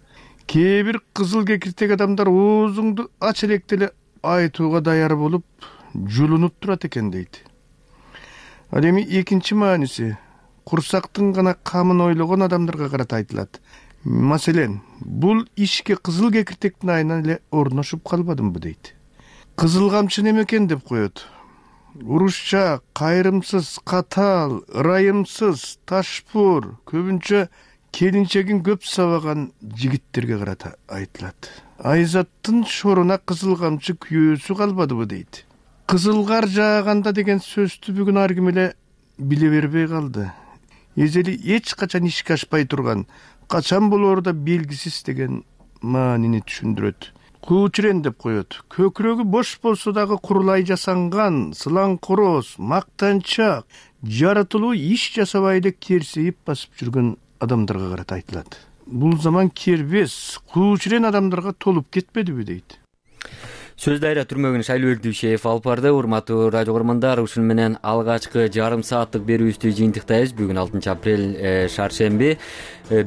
Кээ бир кызыл кекиртек адамдар оозуңду ач электе эле айтууга даяр болуп, жулунуп турат экен дейт. Ал эми экинчи мааниси курсактын гана камын ойлогон адамдарга карата айтылат. Маселен, бул ишке кызыл кекиртектин айынан эле орношуп калбадымбы дейт. Кызыл камчы неме экен деп коет. Урушча, кайрымсыз, катаал, ырайымсыз, ташпур, көбүнчө келинчегин көп сабаган жигиттерге карата айтылат. Айзаттын шоруна кызыл камчы күйөөсү калбадыбы дейт. Кызыл кар жааганда деген сөздү бүгүн ар ким эле биле бербей калды. Эзели эч качан ишке ашпай турган, качан болоору да белгисиз деген маанини түшүндүрөт. Куучурен деп коет. Көкүрөгү бош болсо дагы курулай жасанган, сылаңкороз, мактанчак, жаратылуу иш жасабай эле керсейип басып жүргөн адамдарга карата айтылат. Бул заман кербес, куучурен адамдарга толуп кетпедиби дейт. Сөз дайра түрмөгүн Шайлуу Дүйшеев алып барды. Урматтуу радио көрөрмандар, ушуну менен алгачкы жарым сааттык берүүбүздү жыйынтыктайбыз. Бүгүн 6 апрель шаршемби.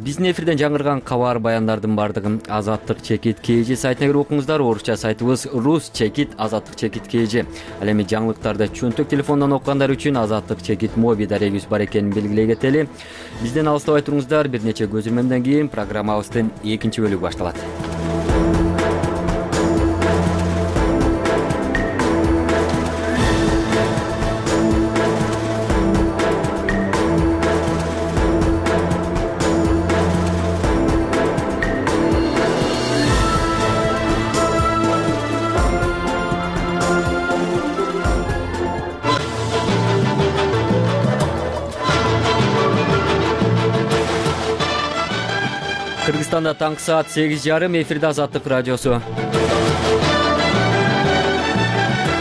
Биздин эфирден жаңырган кабар баяндардын бардыгын Азаттык чекит KG сайтына кирип окуңуздар. Орусча сайтыбыз Rus чекит Азаттык чекит KG. Ал эми жаңылыктарды чөнтөк телефондон окугандар үчүн Азаттык чекит моби дарегибиз бар экенин белгилей кетели. Бизден алыстабай туруңуздар. Бир нече көзүрмөмдөн кийин программабыздын экинчи бөлүгү башталат. Кыргызстанда таңкы саат 8:30 эфирде Азаттык радиосу.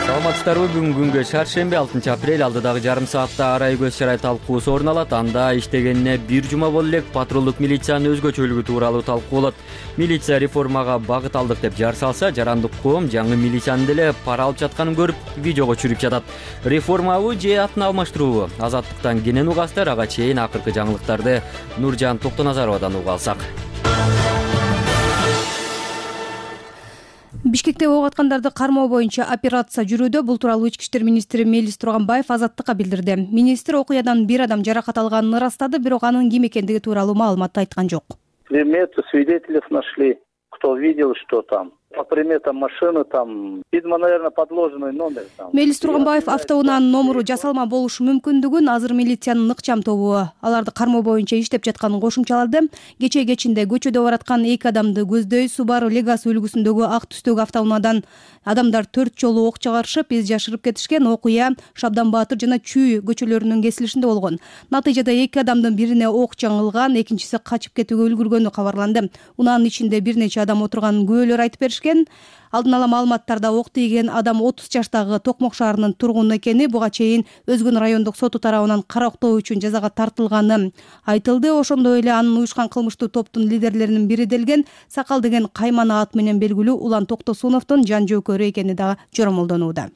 Саламатсыздарбы? Бүгүн күнгө шаршемби 6 апрель алдыдагы жарым саатта арай көз чарай талкуусу орун алат. Анда иштегенине бир жума боло элек патрулдук милициянын өзгөчөлүгү тууралуу талкуу болот. Милиция реформага багыт алдык деп жар салса, жарандык коом жаңы милициянын деле пара алып жатканын көрүп, видеого түшүрүп жатат. Реформабы же атын алмаштыруубу? Азаттыктан кенен угасыздар. Ага чейин акыркы жаңылыктарды Нуржан Токтоназаровадан угуп алсак. Бишкекте ок аткандарды кармоо боюнча операция жүрүүдө. Бул тууралуу Ички иштер министри Мелис Турганбаев Азаттыкка билдирди. Министр окуядан бир адам жаракат алганын ырастады, бирок анын ким экендиги тууралуу маалымат айткан жок. Приметы свидетелей нашли, кто видел, что там. По приметам машины там, видимо, наверное, подложенный номер там. Мелис Турганбаев автоунаанын номуру жасалма болушу мүмкүндүгүн азыр милициянын ыкчам тобу аларды кармоо боюнча иштеп жатканын кошумчалады. Кечээ кечинде көчөдө бараткан 2 адамды көздөй Subaru Legacy үлгүсүндөгү ак түстөгү автоунаадан адамдар 4 жолу ок чыгарышып, из жашырып кетишкен. Окуя Шабдан Баатыр жана Чүй көчөлөрүнүн кесилишинде болгон. Натыйжада 2 адамдын бирине ок жаңылган, экинчиси качып кетүүгө үлгүргөнү кабарланды. Унаанын ичинде бир нече адам отурганын күбөлөр айтып беришкен. Алдын ала маалыматтарда ок тийген адам 30 жаштагы Токмок шаарынын тургуну экени, буга чейин Өзгөн райондук соту тарабынан карактоо үчүн жазага тартылганы айтылды. Ошондой эле анын уюшкан кылмыштуу топтун лидерлеринин бири делген Сакал деген каймана ат менен белгилүү Улан Токтосуновдун жан жөөкөрү экени дагы жоромолдонууда.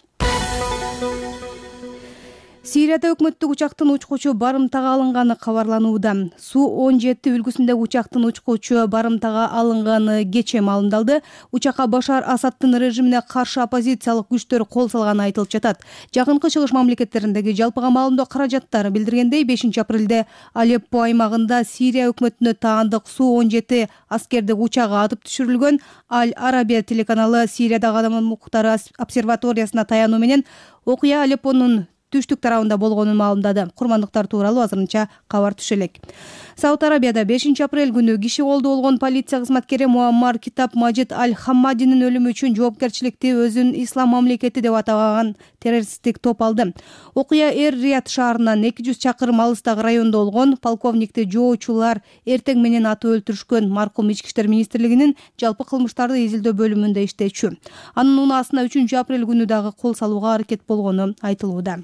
Сирияда өкмөттүк учактын учкучу барымтага алынганы кабарланууда. Су-17 үлгүсүндөгү учактын учкучу барымтага алынганы кечээ маалымдалды. Учакка Башар Асадтын режимине каршы оппозициялык күчтөр кол салганы айтылып жатат. Жакынкы чыгыш мамлекеттериндеги жалпыга маалымдоо каражаттары билдиргендей, 5 апрелде Алеппо аймагында Сирия өкмөтүнө таандык Су-17 аскердик учагы атып түшүрүлгөн. Аль-Арабия телеканалы Сириядагы адам укуктары обсерваториясына таянуу менен окуя Алеппонун түштүк тарабында болгонун маалымдады. Курмандыктар тууралуу азырынча кабар түшө элек. Сауд Арабияда 5 апрель күнү киши колдо болгон полиция кызматкери Муаммар Китаб Мажид Аль-Хаммадинин өлүмү үчүн жоопкерчиликти өзүн ислам мамлекети деп атаган террористтик топ алды. Окуя Эр-Рияд шаарынан 200 чакырым алыстагы райондо болгон. Полковникти жоочулар эртең менен атып өлтүрүшкөн. Маркум Ички иштер министрлигинин жалпы кылмыштарды изилдөө бөлүмүндө иштечү. Анын унаасына 3 апрель күнү дагы кол салууга аракет болгону айтылууда.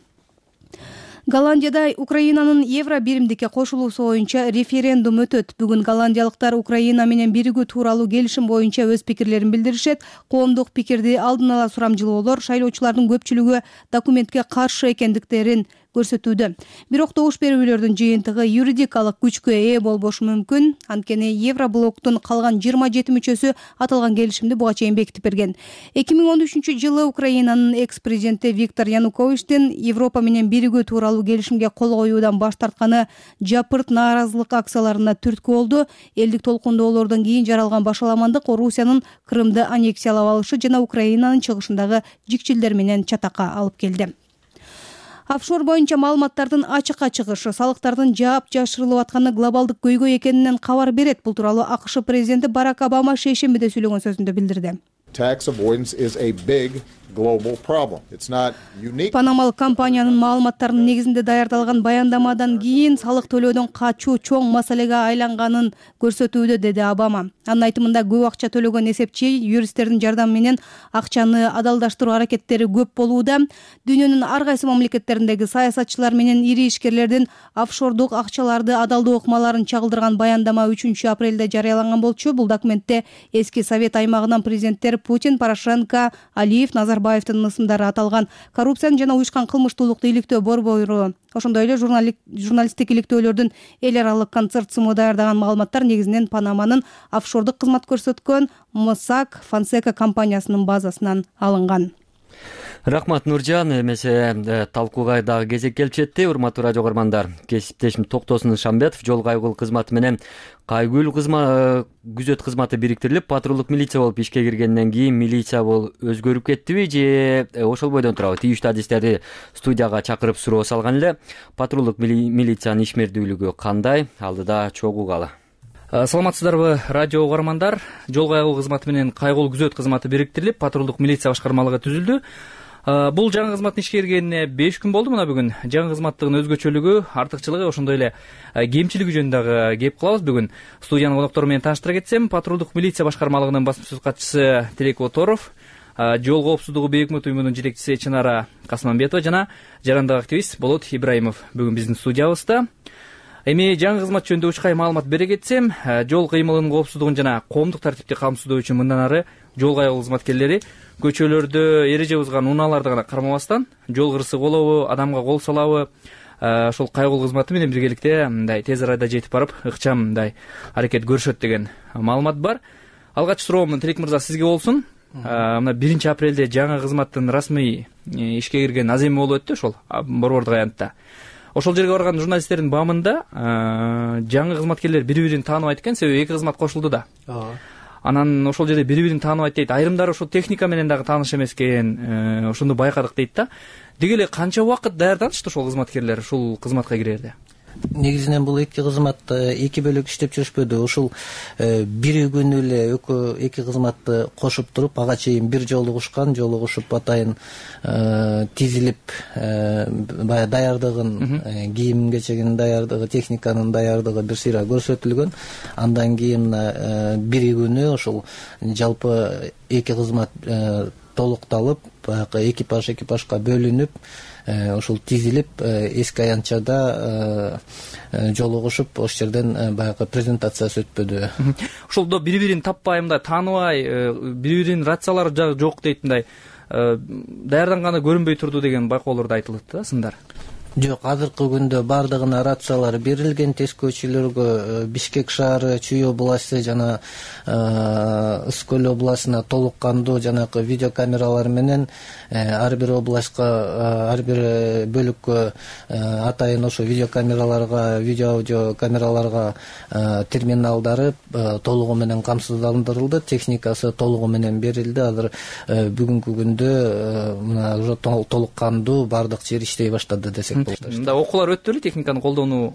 Голландияда Украинанын евро биримдикке кошулуусу боюнча референдум өтөт. Бүгүн голландиялыктар Украина менен биригүү тууралуу келишим боюнча өз пикирлерин билдиришет. Коомдук пикирди алдын ала сурамжылоолор шайлоочулардын көпчүлүгү документке каршы экендиктерин көрсөтүүдө. Бирок добуш берүүлөрдүн жыйынтыгы юридикалык күчкө ээ болбошу мүмкүн. Анткени Евроблоктун калган 27 мүчөсү аталган келишимди буга чейин бекитип берген. 2013-жылы Украинанын экс-президенти Виктор Януковичтин Европа менен биригүү тууралуу келишимге кол коюудан баш тартканы жапырт нааразылык акцияларына түрткү болду. Элдик толкундоолордон кийин жаралган башаламандык Орусиянын Крымды аннексиялап алышы жана Украинанын чыгышындагы жикчилдер менен чатакка алып келди. Офшор боюнча маалыматтардын ачыкка чыгышы салыктардын жаап жашырылып атканы глобалдык көйгөй экенинен кабар берет. Бул тууралуу АКШ президенти Барак Обама шейшембиде сүйлөгөн сөзүндө билдирди. Tax avoidance is a big Панамалык компаниянын маалыматтарынын негизинде даярдалган баяндамадан кийин салык төлөөдөн качуу чоң маселеге айланганын көрсөтүүдө, деди Обама. Анын айтымында көп акча төлөгөн эсепчи юристтердин жардамы менен акчаны адалдаштыруу аракеттери көп болууда. Дүйнөнүн ар кайсы мамлекеттериндеги саясатчылар менен ири ишкерлердин офшордук акчаларды адалдоо ыкмаларын чагылдырган баяндама 3 апрелде жарыяланган болчу. Бул документте эски Совет аймагынан президенттер Путин, Порошенко, Алиев, Назарбаевдин ысымдары аталган. Коррупцияны жана уюшкан кылмыштуулукту иликтөө борбору, ошондой эле журналисттик иликтөөлөрдүн эл аралык консорциуму даярдаган маалыматтар негизинен Панаманын офшордук кызмат көрсөткөн Mossack Fonseca компаниясынын базасынан алынган. Рахмат, Нуржан. Эмесе талкууга дагы кезек келип жетти. Урматтуу радио көрмандар, кесиптешим Токтосун Шамбетов жол кайгыл кызматы менен кайгүл күзөт кызматы бириктирилип, патрулдук милиция болуп ишке киргенден кийин милиция өзгөрүп кеттиби же ошол бойдон турабы? Тийиштүү адистерди студияга чакырып суроо салган эле. Патрулдук милициянын ишмердүүлүгү кандай? Алдыда чогуугалы. Саламатсыздарбы, радио угармандар? Жол кайгыл кызматы менен кайгыл күзөт кызматы бириктирилип, патрулдук милиция башкармалыгы түзүлдү. Бул жаңы кызматтын ишке киргенине 5 күн болду. Мына бүгүн жаңы кызматтын өзгөчөлүгү, артыкчылыгы, ошондой эле кемчилиги жөнүндө дагы кеп кылабыз. Бүгүн студиянын коноктору менен тааныштыра кетсем, патрулдук милиция башкармалыгынын басма сөз катчысы Тилек Оторов, жол коопсуздугу бейик өкмөт уюмунун жетекчиси Чынара Касманбетова жана жарандык активист Болот Ибраимов бүгүн биздин студиябызда. Эми жаңы кызмат жөнүндө учкай маалымат бере кетсем, жол кыймылынын коопсуздугун жана коомдук тартипти камсыздоо үчүн мындан ары жол кайгыл кызматкерлери көчөлөрдө эреже бузган унааларды гана кармабастан, жол кырсык болобу, адамга кол салабы, ошол кайгыл кызматы менен биргеликте мындай тез арада жетип барып, ыкчам мындай аракет көрүшөт деген маалымат бар. Алгач суроом Тилек мырза сизге болсун. Мына 1 апрелде жаңы кызматтын расмий ишке кирген аземи болуп өттү ошол борбордук аянтта. Ошол жерге барган журналисттердин баамында жаңы кызматкерлер бири-бирин тааныбайт экен, себеби эки кызмат кошулду да. Анан ошол жерде бири-бирин тааныбайт дейт. Айрымдары ошол техника менен дагы тааныш эмес экен, ошону байкадык дейт да. Деги эле канча убакыт даярданышты ошол кызматкерлер ушул кызматка кирерде? Негизинен бул эки кызмат эки бөлөк иштеп жүрүшпөдү. Ушул бир күнү эле эки кызматты кошуп туруп, ага чейин бир жолугушкан, жолугушуп атайын тизилип, баягы даярдыгын, кийим кечегинин даярдыгы, техниканын даярдыгы бир сыйра көрсөтүлгөн. Андан кийин бир күнү ошол жалпы эки кызмат толукталып, баягы экипажга бөлүнүп, ошол тизилип, эски аянтчада жолугушуп, ошол жерден баягы презентациясы өтпөдү. Ошолдо бири-бирин таппай, мындай тааныбай, бири-биринин рациялары жок дейт, мындай даярданганы көрүнбөй турду деген байкоолорду айтылат да, сындар. Жок, азыркы күндө бардыгына рациялар берилген. Тескөөчүлөргө Бишкек шаары, Чүй областы жана Ысык көл областына толук кандуу жанагы видеокамералар менен ар бир областка, ар бир бөлүккө атайын ошо видеокамераларга, видео-аудио камераларга терминалдары толугу менен камсыздандырылды. Техникасы толугу менен берилди. Азыр бүгүнкү күндө мына уже толук кандуу бардык жер иштей баштады десек. Мында окуулар өттү беле техниканы колдонуу?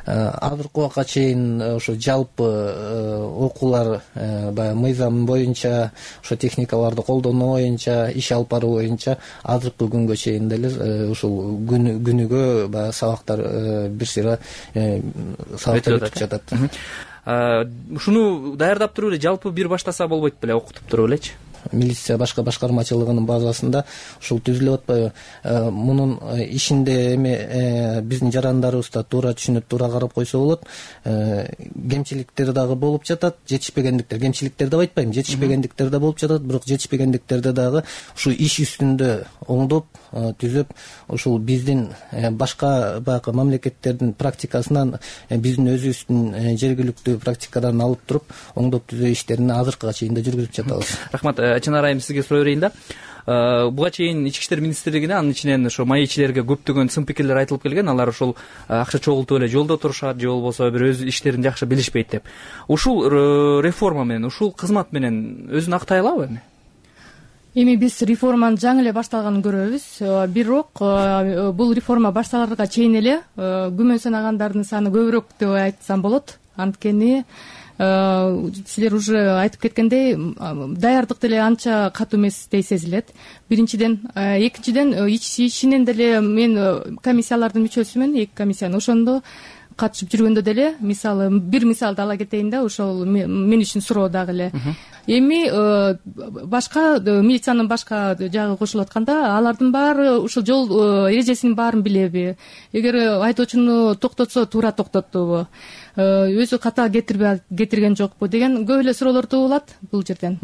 Азыркы убакка чейин ошо жалпы окуулар баягы мыйзам боюнча, ошо техникаларды колдонуу боюнча, иш алып баруу боюнча азыркы күнгө чейин деле ушул күнүгө баягы сабактар бир сыйра сабактар өтүп жатат. Ушуну даярдап туруп эле жалпы бир баштаса болбойт беле, окутуп туруп элечи? Милиция башка башкармачылыгынын базасында ушул түзүлүп атпайбы? Мунун ишинде эми биздин жарандарыбыз да туура түшүнүп, туура карап койсо болот. Кемчиликтер дагы болуп жатат, жетишпегендиктер, кемчиликтер деп айтпайм, жетишпегендиктер да болуп жатат, бирок жетишпегендиктерди дагы ушул иш үстүндө оңдоп, түзөп, ушул биздин башка баягы мамлекеттердин практикасынан, биздин өзүбүздүн жергиликтүү практикадан алып туруп, оңдоп түзөө иштерин азыркыга чейин да жүргүзүп жатабыз. Рахмат. Чынар айым, сизге суроо берейин да. Буга чейин Ички иштер министрлигине, анын ичинен ошо майчилерге көптөгөн сын пикирлер айтылып келген. Алар ушул акча чогултуп эле жолдо турушат, же болбосо бир өз иштерин жакшы билишпейт деп. Ушул реформа менен, ушул кызмат менен өзүн актай алабы эми? Эми биз реформанын жаңы эле башталганын көрөбүз. Бирок бул реформа башталарга чейин эле күмөн санагандардын саны көбүрөөк деп айтсам болот. Анткени силер уже айтып кеткендей даярдык деле анча катуу эместей сезилет биринчиден. Экинчиден ичинен деле мен комиссиялардын мүчөсүмүн, 2 комиссиянын, ошондо катышып жүргөндө деле мисалы бир мисалды ала кетейин да, ошол мен үчүн суроо дагы эле. Эми башка милициянын башка жагы кошулуп атканда алардын баары ушул жол эрежесинин баарын билеби? Эгер айдоочуну токтотсо туура токтоттубу? Өзү ката кетирген жокпу деген көп эле суроолор туулат бул жерден.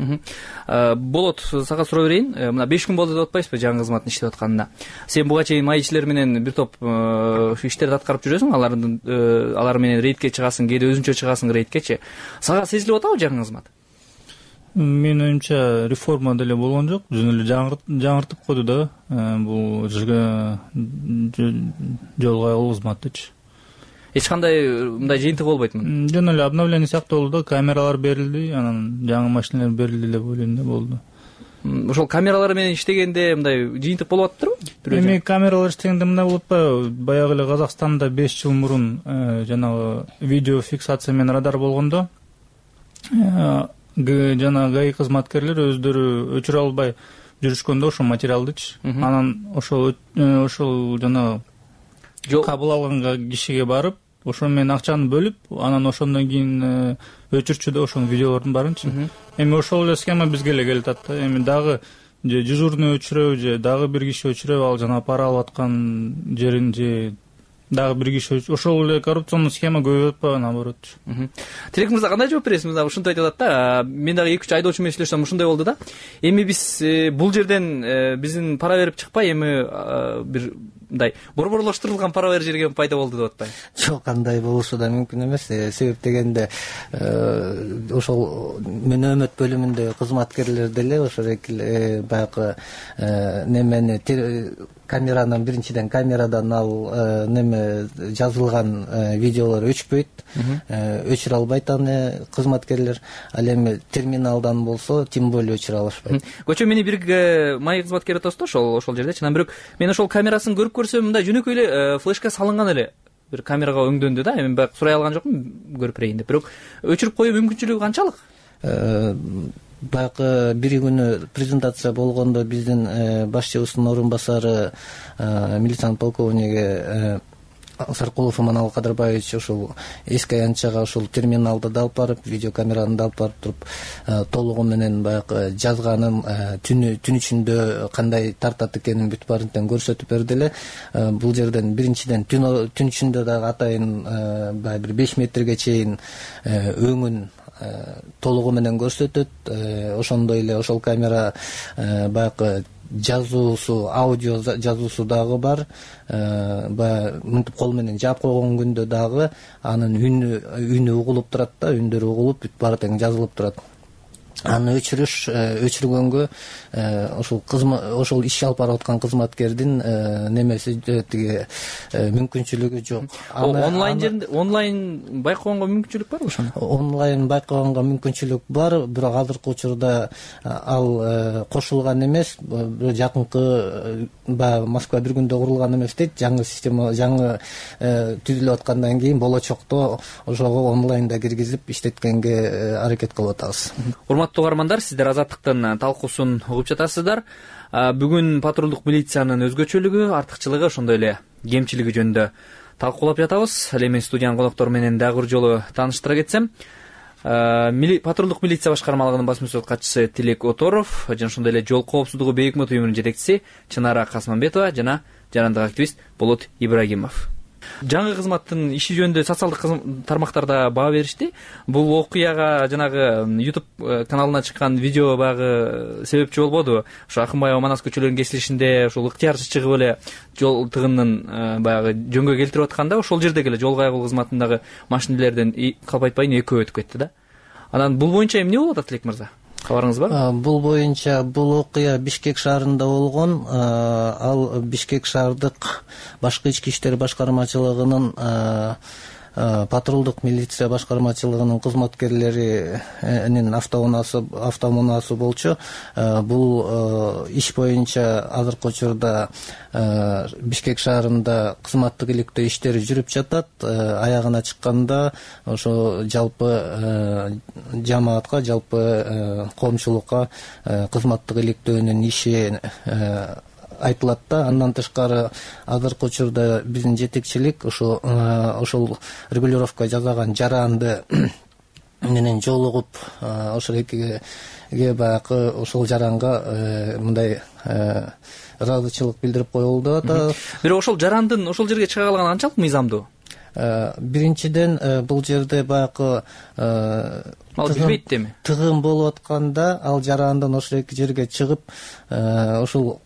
Болот, сага суроо берейин. Мына 5 күн болду деп атпайсызбы жаңы кызматтын иштеп атканына? Сен буга чейин май ишчилер менен бир топ иштерди аткарып жүрөсүң, алар менен рейдке чыгасың, кээде өзүңчө чыгасың рейдкечи. Сага сезилип атабы жаңы кызмат? Менин оюмча реформа деле болгон жок, жөн эле жаңыртып койду да бул жол кайгылуу кызматтычы. Эч кандай мындай жыйынтык болбойтмун. Жөн эле обновление сыяктуу болду да, камералар берилди, анан жаңы машиналар берилди деп ойлойм да, болду. Ошол камералар менен иштегенде мындай жыйынтык болуп атыптырбы? Эми камералар иштегенде мындай болуп атпайбы? Баягы эле Казакстанда 5 жыл мурун жанагы видео фиксация менен радар болгондо жана ГАИ кызматкерлер өздөрү өчүрө албай жүрүшкөндө ошол материалдычы, анан ошол жанагы кабыл алган кишиге барып, ошо менен акчаны бөлүп, анан ошондон кийин өчүрчү да ошонун видеолордун баарынчы. Эми ошол эле схема бизге эле келип атат да. Эми дагы же дежурный өчүрөбү, же дагы бир киши өчүрөбү, ал жана пара алып аткан жерин, же дагы бир киши ошол эле коррупционный схема көбөйүп атпайбы, наоборот. Тилек мырза, кандай жооп бересиз? Мына ушинтип айтып атат да. Мен дагы 2-3 айдоочу менен сүйлөшсөм ушундай болду да. Эми биз бул жерден биздин пара берип чыкпай, эми бир мындай борборлоштурулган пара бер жерге пайда болду деп атпайбы? Жок, андай болушу да мүмкүн эмес. Себеп дегенде ошол мөнөмөт бөлүмүндө кызматкерлер деле ошол баягы немени камеранын биринчиден камерадан ал неме жазылган видеолор өчпөйт, өчүрө албайт аны кызматкерлер. Ал эми терминалдан болсо тем более өчүрө алышпайт. Көчө мени бир май кызматкери отосу ошол жердечи. Анан бирок мен ошол камерасын көрүп көрсөм, мындай жөнөкөй эле флешка салынган эле бир камерага өңдөндү да. Эми баягы сурай алган жокмун көрүп берейин деп. Бирок өчүрүп коюу мүмкүнчүлүгү канчалык? Баягы бир күнү презентация болгондо биздин башчыбыздын орун басары милициянын полковниги Саркулов Иманалы Кадырбаевич ошол эски аянтчага ошол терминалды да алып барып, видеокамераны да алып барып туруп, толугу менен баягы жазганын түн ичинде кандай тартат экенин бүт баарын көрсөтүп берди эле. Бул жерден биринчиден түн ичинде дагы атайын баягы бир 5 метрге чейин өңүн толугу менен көрсөтөт. Ошондой эле ошол камера баягы жазуусу, аудио жазуусу дагы бар. Баягы мынтип кол менен жаап койгон күндө дагы анын үнү угулуп турат да, үндөрү угулуп бүт баары тең жазылып турат. Аны өчүргөнгө ошол иш алып барып аткан кызматкердин немеси тиги мүмкүнчүлүгү жок. Онлайн байкоонго мүмкүнчүлүк барбы ошону? Онлайн байкоонго мүмкүнчүлүк бар, бирок азыркы учурда ал кошулган эмес. Жакынкы баягы Москва бир күндө курулган эмес дейт. Жаңы система, жаңы түзүлүп аткандан кийин болочокто ошого онлайнда киргизип иштеткенге аракет кылып атабыз. Урматтуу угармандар, сиздер Азаттыктын талкуусун угуп жатасыздар. Бүгүн патрулдук милициянын өзгөчөлүгү, артыкчылыгы, ошондой эле кемчилиги жөнүндө талкуулап жатабыз. Ал эми студиянын коноктору менен дагы бир жолу тааныштыра кетсем, патрулдук милиция башкармалыгынын басма сөз катчысы Тилек Оторов жана ошондой эле жол коопсуздугу бейөкмөт уюмунун жетекчиси Чынара Касманбетова жана жарандык активист Болот Ибрагимов. Жаңы кызматтын иши жөнүндө социалдык тармактарда баа беришти. Бул окуяга жанагы YouTube каналына чыккан видео баягы себепчи болбоду? Ошо Акынбаева Манас көчөлөрүнүн кесилишинде ошол ыктыярчы чыгып эле жол тыгынын баягы жөнгө келтирип атканда, ошол жердеги эле жол кайгылуу кызматындагы машинелерден калп айтпайын экөө өтүп кетти да. Анан бул боюнча эмне болуп атат, Тилек мырза? Кабарыңыз бар? Бул боюнча бул окуя Бишкек шаарында болгон. Ал Бишкек шаардык башкы ички иштер башкармачылыгынын патрулдук милиция башкармачылыгынын кызматкерлеринин автоунаасы болчу. Бул иш боюнча азыркы учурда Бишкек шаарында кызматтык иликтөө иштери жүрүп жатат. Аягына чыкканда ошо жалпы жамаатка, жалпы коомчулукка кызматтык иликтөөнүн иши айтылат да. Андан тышкары азыркы учурда биздин жетекчилик ошол регулировка жасаган жаранды менен жолугуп ошол экиге баягы ошол жаранга мындай ыраазычылык билдирип коюлду деп атат. Бирок ошол жарандын ошол жерге чыга калганы канчалык мыйзамдуу? Биринчиден бул жерде баягы билбейт эми. Тыгын болуп атканда ал жарандын ошол жерге чыгып ошол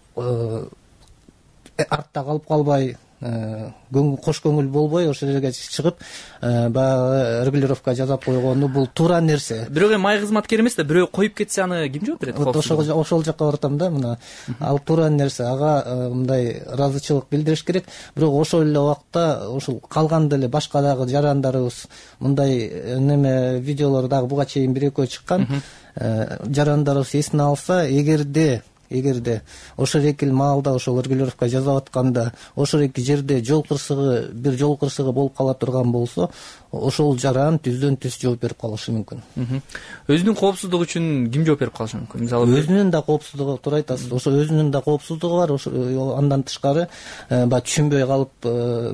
артта калып калбай, кош көңүл болбой ошол жерге чыгып баягы регулировка жасап койгону бул туура нерсе. Бирок эми май кызматкер эмес да, бирөө коюп кетсе аны ким жооп берет? Ошол жакка баратам да. Мына ал туура нерсе, ага мындай ыраазычылык билдириш керек. Бирок ошол эле убакта ошол калган деле башка дагы жарандарыбыз мындай неме видеолор дагы буга чейин 1-2 чыккан. Жарандарыбыз эсине алса, эгерде ошол эки маалда ошол регулировка жасап атканда ошол эки жерде бир жол кырсыгы болуп кала турган болсо, ошол жаран түздөн түз жооп берип калышы мүмкүн. Өзүнүн коопсуздугу үчүн ким жооп берип калышы мүмкүн? Мисалы өзүнүн да коопсуздугу, туура айтасыз. Ошо өзүнүн да коопсуздугу бар. Андан тышкары баягы түшүнбөй калып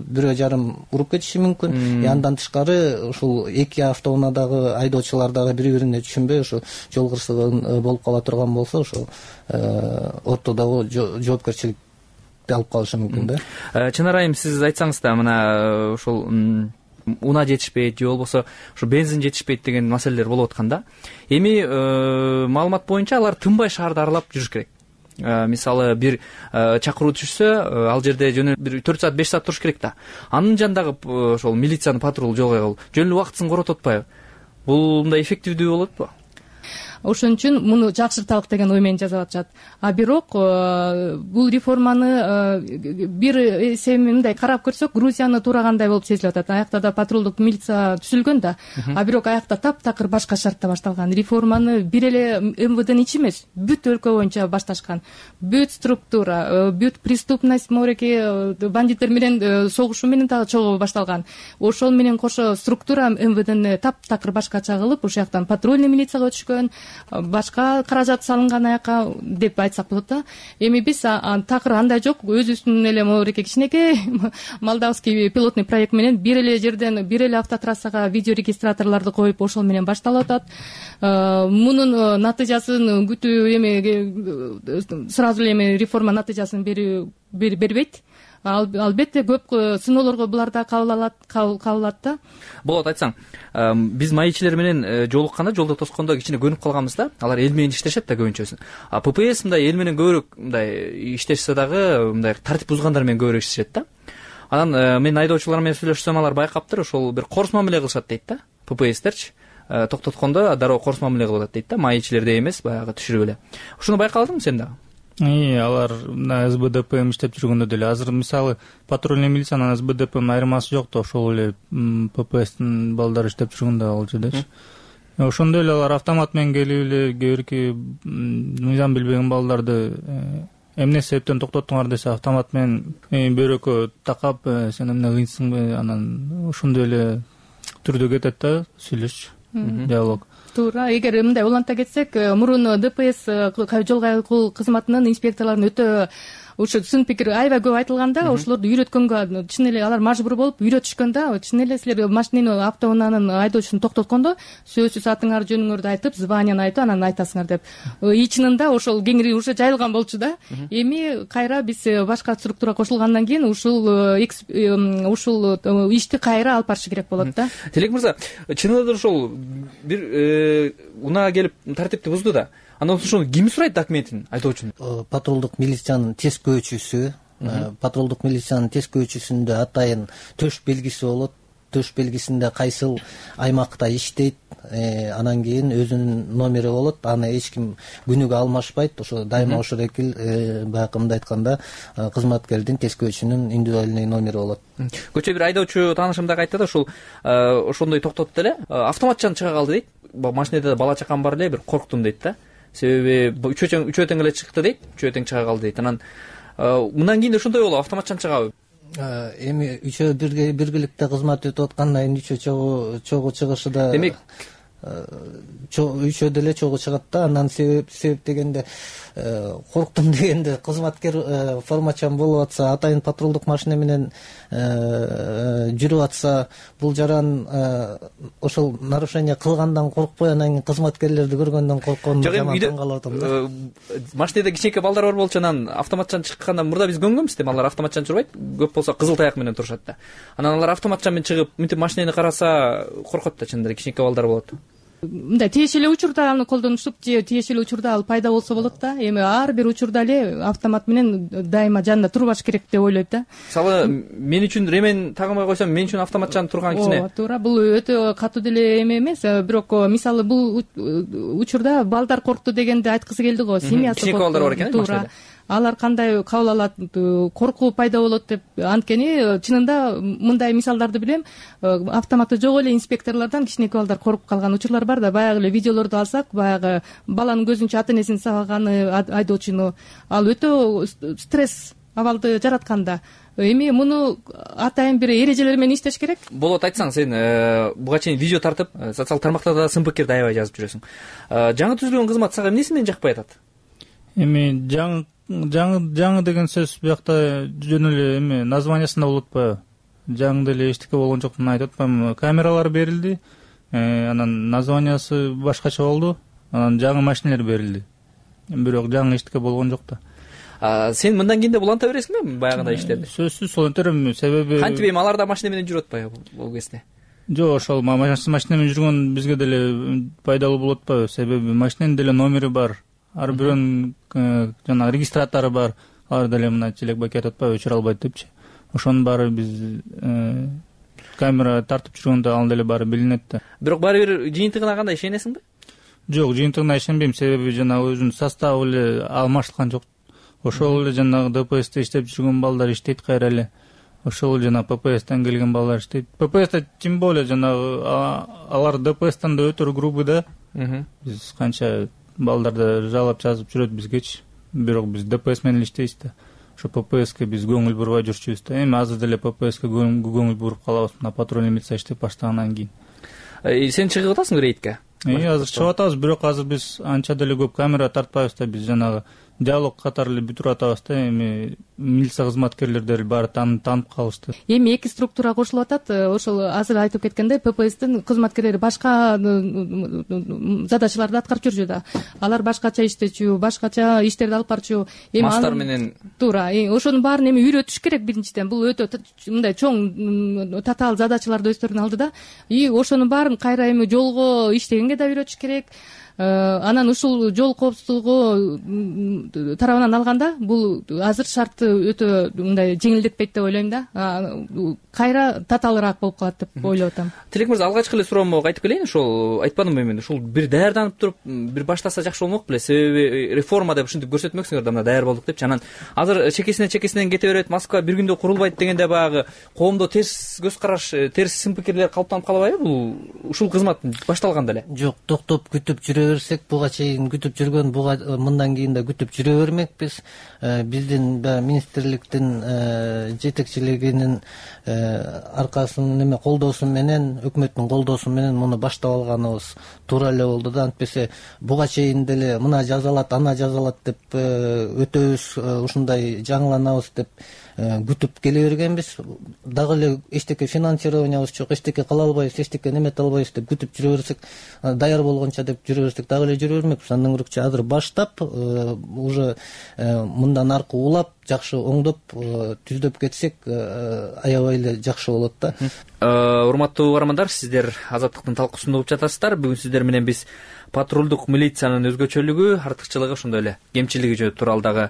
бирөө жарым уруп кетиши мүмкүн. Андан тышкары ушул эки автоунаадагы айдоочулар дагы бири-бирине түшүнбөй ошо жол кырсыгы болуп кала турган болсо, ошо ортодогу жоопкерчиликти алып калышы мүмкүн да. Чынар айым, сиз айтсаңыз да, мына ушул унаа жетишпейт же болбосо ушу бензин жетишпейт деген маселелер болуп аткан да. Эми маалымат боюнча алар тынбай шаарды аралап жүрүш керек. Мисалы бир чакыруу түшсө, ал жерде жөн бир 4 саат 5 саат туруш керек да. Анын жанындагы ошол милициянын патрул жол кыйгыл жөн эле убактысын коротуп атпайбы? Бул мындай эффективдүү болотпу? Ошон үчүн муну жакшырталык деген ой менен жасап атышат. Бирок бул реформаны бир эсеби мындай карап көрсөк, Грузияны туурагандай болуп сезилип атат. Аякта да патрулдук милиция түзүлгөн да. Бирок аякта таптакыр башка шартта башталган. Реформаны бир эле МВДнын ичи эмес, бүт өлкө боюнча башташкан. Бүт структура, бүт преступность, мореки бандиттер менен согушу менен дагы чогуу башталган. Ошол менен кошо структура МВДни таптакыр башкача кылып, ошол жактан патрульный милицияга өтүшкөн, башка каражат салынган аяка деп айтсак болот да. Эми биз такыр андай жок, өзүбүздүн эле мореки кичинекей молдавский пилотный проект менен бир эле жерден бир эле автотрассага видеорегистраторлорду коюп ошол менен башталып атат. Мунун натыйжасын күтүү эми сразу эле эми реформа натыйжасын бербейт. Албетте көп сыноолорго булар да кабыл да. Болот, айтсаң. Биз майчилер менен жолукканда, жолдо тоскондо кичине көнүп калганбыз да. Алар эл менен иштешет да көбүнчөсү. ППС мындай эл менен көбүрөөк мындай иштешсе дагы мындай тартип бузгандар менен көбүрөөк иштешет да. Анан мен айдоочулар менен сүйлөшсөм, алар байкаптыр, ошол бир корс мамиле кылышат дейт да. ППСтерчи токтоткондо дароо корс мамиле кылып атат дейт да. Майчилердей эмес, баягы түшүрүп эле. Ошону байкадыңбы сен дагы? Алар мына СБДП иштеп жүргөндө деле азыр мисалы патрульный милициянын СБДПнын айырмасы жок да, ошол эле ППСтин балдары иштеп жүргөндө ал жердечи. Ошондой эле алар автомат менен келип эле кээ мыйзам билбеген балдарды эмне себептен токтоттуңар десе, автомат менен бөйрөккө такап, сен эмне кыйынсыңбы, анан ошондой эле түрдө кетет да сүйлөш, диалог. Туура. Эгер мындай уланта кетсек, мурун ДПС жол кайгыл кызматынын инспекторлорунун өтө ушу сын пикир аябай көп айтылганда, ошолорду үйрөткөнгө чын эле алар мажбур болуп үйрөтүшкөндө, чын эле силер машинени автоунаанын айдоочусун токтоткондо сөзсүз атыңар жөнүңөрдү айтып, званияны айтып, анан айтасыңар деп. Ичининде ошол кеңири уже жайылган болчу да. Эми кайра биз башка структура кошулгандан кийин ушул ишти кайра алып барышы керек болот да. Телек мырза, чын эле ошол бир унаа келип тартипти бузду да. Андан соң ким сурайт документин айдоочунун? Патрулдук милициянын тескөөчүсү, патрулдук милициянын тескөөчүсүндө атайын төш белгиси болот. төш белгисинде кайсыл аймакта иштейт, анан кийин өзүнүн номери болот, аны эч ким күнүгө алмашпайт. Ошо дайыма ошол экил баягы мындай айтканда кызматкердин, тескөөчүнүн индивидуальный номери болот. Көчө бир айдоочу таанышым дагы айтты да, ушул ошондой токтотуп эле автоматчан чыга калды дейт. Машинеде бала чакам бар эле, бир корктум дейт да. Себеби үчөө тең эле чыкты дейт, үчөө тең чыга калды дейт. Анан мындан кийин ошондой болобу, автоматчан чыгабы? Эми үчөө биргеликте кызмат өтүп аткандан кийин үчөө чогуу чыгышы да, демек үчөө деле чогуу чыгат да. Андан себеп дегенде корктум дегенде кызматкер формачан болуп атса, атайын патрулдук машина менен жүрүп атса, бул жаран ошол нарушение кылгандан коркпой, анан кийин кызматкерлерди көргөндөн коркконун жаман таң калып атам да. Машинеде кичинекей балдар бар болчу, анан автоматчан чыккандан мурда биз көнгөнбүз да, алар автоматчан жүрбөйт, көп болсо кызыл таяк менен турушат да. Анан алар автоматчан менен чыгып, мынтип машинени караса коркот да, чындап эле кичинекей балдар болот. Мындай тиешелүү учурда аны колдонушуп же тиешелүү учурда ал пайда болсо болот да. Эми ар бир учурда эле автомат менен дайыма жанында турбаш керек деп ойлойт да. Мисалы, мен үчүн ремен тагынбай койсом, мен үчүн автоматчан турган кичине. Ооба, туура. Бул өтө катуу деле эме эмес, бирок мисалы бул учурда балдар коркту дегенди айткысы келди го. Семьясы кичинекей балдар бар экен, туура. Алар кандай кабыл алат, коркуу пайда болот деп. Анткени чынында мындай мисалдарды билем. Автоматы жок эле инспекторлордон кичинекей балдар коркуп калган учурлар бар да. Баягы эле видеолорду алсак, баягы баланын көзүнчө ата энесин сабаганы айдоочуну, ал өтө стресс абалды жараткан да. Эми муну атайын бир эрежелер менен иштеш керек. Болот, айтсаң, сен буга чейин видео тартып, социалдык тармактарда сын пикирди аябай жазып жүрөсүң. Жаңы түзүлгөн кызмат сага эмнеси менен жакпай атат? Эми жаңы деген сөз биякта жөн эле эми названиясында болуп атпайбы? Жаңы деле эчтеке болгон жок деп айтып атпаймынбы? Камералар берилди, анан названиясы башкача болду, анан жаңы машинелер берилди. Бирок жаңы эчтеке болгон жок да. Сен мындан кийин да буланта бересиңби баягындай иштерди? Сөзсүз сол өтөрөм, себеби кантип эми алар да машина менен жүрүп атпайбы бул кезде? Жок, ошол машина менен жүргөн бизге деле пайдалуу болуп атпайбы? Себеби машиненин деле номери бар. Ар бирөөнүн жана регистратору бар. Алар деле мына Челекбек айтып атпайбы, өчүрө албайт депчи. Ошонун баары биз камера тартып жүргөндө ал деле баары билинет да. Бирок баары бир жыйынтыгына кандай ишенесиңби? Жок, жыйынтыгына ишенбейм, себеби жана өзүнүн составы эле алмаштылган жок. Ошол эле жанагы ДПСте иштеп жүргөн балдар иштейт кайра эле. Ошол жана ППСтен келген балдар иштейт. ППСте тем более жанагы алар ДПСтен да өтөр группы да. Биз канча балдарды жалап жазып жүрөт бизгечи. Бирок биз ДПС менен иштейбиз да. Ошо ППСке биз көңүл бурбай жүрчүбүз да. Эми азыр деле ППСке көңүл буруп калабыз, мына патрульный милиция иштеп баштагандан кийин. Сен чыгып атасың рейдке? Азыр чыгып атабыз, бирок азыр биз анча деле көп камера тартпайбыз да. Биз жанагы диалог катары эле бүтүрүп атабыз да. Эми милиция кызматкерлери баары таанып калышты. Эми эки структура кошулуп атат. Ошол азыр айтып кеткендей, ППСтин кызматкерлери башка задачаларды аткарып жүрчү да. Алар башкача иштечү, башкача иштерди алып барчу. Мастар менен туура. Ошонун баарын эми үйрөтүш керек биринчиден. Бул өтө мындай чоң татаал задачаларды өздөрүнүн алдыда. И ошонун баарын кайра эми жолго иштегенге да үйрөтүш керек. Анан ушул жол коопсуздугу тарабынан алганда бул азыр шартты өтө мындай жеңилдетпейт деп ойлойм да. Кайра татаалыраак болуп калат деп ойлоп атам. Тилек мырза, алгачкы эле суроомо айтып келейин. Ошол айтпадымбы мен, ушул бир даярданып туруп бир баштаса жакшы болмок беле? Себеби реформа деп ушинтип көрсөтмөксүңөр да, мына даяр болдук депчи. Анан азыр чекесинен кете берет, Москва бир күндө курулбайт дегенде баягы коомдо терс көз караш, терс сын пикирлер калыптанып калбайбы? Бул ушул кызмат башталганда эле. Жок, токтоп күтүп жүрө берсек, буга чейин күтүп жүргөн, буга мындан кийин да күтүп жүрө бермекпиз. Биздин министрликтин жетекчилигинин аркасынан эме колдоосу менен, өкмөттүн колдоосу менен муну баштап алганыбыз туура эле болду да. Антпесе буга чейин деле мына жазалат, ана жазалат деп өтөбүз, ушундай жаңыланабыз деп күтүп келе бергенбиз. Дагы эле эчтеке финансированиябыз жок, эчтеке кыла албайбыз, эчтеке немете албайбыз деп күтүп жүрө берсек, даяр болгонча деп жүрө берсек дагы эле жүрө бермекпиз. Андан көрөкчү азыр баштап, уже мындан аркы улап, жакшы оңдоп, түздөп кетсек, аябай эле жакшы болот да. Урматтуу угармандар, сиздер Азаттыктын талкуусун угуп жатасыздар. Бүгүн сиздер менен биз патрулдук милициянын өзгөчөлүгү, артыкчылыгы, ошондой эле кемчилиги тууралуу дагы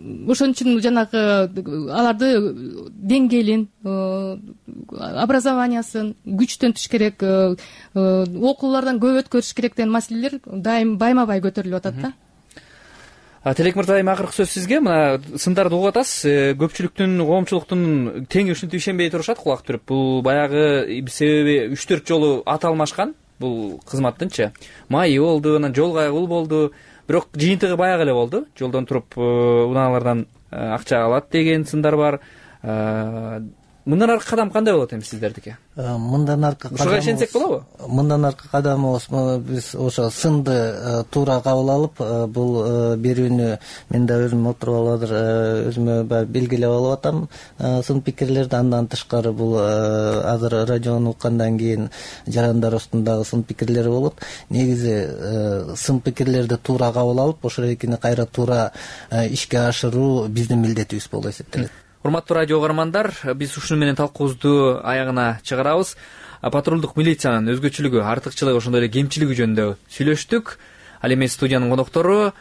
ошон үчүн жанагы аларды деңгээлин образованиясын күчтөнтүш керек, окуулардан көп өткөрүш керек деген маселелер дайым байма бай көтөрүлүп атат да. Телек мырза, эми акыркы сөз сизге. Мына сындарды угуп атасыз. Көпчүлүктүн, коомчулуктун тең ушинтип ишенбей турушат, кулак түрүп. Бул баягы себеби 3-4 жолу ат алмашкан бул кызматтынчы. Майы болду, анан жол кайгыл болду. Бирок жыйынтыгы баягы эле болду. Жолдон туруп унаалардан акча алат деген сындар бар. Мындан аркы кадам кандай болот эми сиздердики? Мындан аркы кадам, ушуга ишенсек болобу? Мындан аркы кадамыбыз биз ошо сынды туура кабыл алып, бул берүүнү мен да өзүм отуруп алып өзүмө баягы белгилеп алып атам сын пикирлерди. Андан тышкары бул азыр радиону уккандан кийин жарандарыбыздын дагы сын пикирлери болот. Негизи сын пикирлерди туура кабыл алып, ошол экини кайра туура ишке ашыруу биздин милдетибиз болуп эсептелет. Урматтуу радио угармандар, биз ушуну менен талкуубузду аягына чыгарабыз. Патрулдук милициянын өзгөчөлүгү, артыкчылыгы, ошондой эле кемчилиги жөнүндө сүйлөштүк. Ал эми студиянын коноктору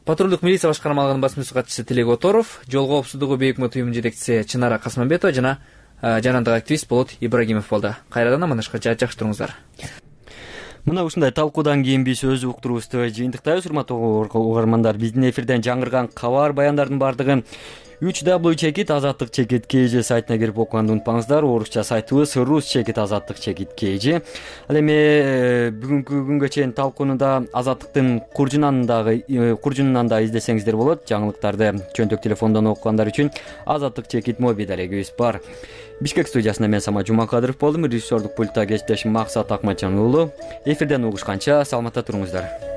Патрулдук милиция башкармалыгынын басма сөз катчысы Тилек Оторов, жол коопсуздугу бейик өкмөт жетекчиси Чынара Касманбетова жана жарандык активист Болот Ибрагимов болду. Кайрадан амандашканча жакшы туруңуздар. Мына ушундай талкуудан кийин биз өз уктурубузду жыйынтыктайбыз. Урматтуу угармандар, биздин эфирден жаңырган кабар баяндардын баардыгы www.azatlyk.kg сайтына кирип окуганды унутпаңыздар. Орусча сайтыбыз rus.azatlyk.kg. Ал эми бүгүнкү күнгө чейин талкууну да Азаттыктын куржунунан да издесеңиздер болот. Жаңылыктарды чөнтөк телефондон окугандар үчүн Azatlyk мобиль дарегибиз бар. Бишкек студиясында мен Самат Жумакадыров болдум. Режиссердук пультта кесиптешим Максат Акматжан уулу. Эфирден угушканча саламатта туруңуздар.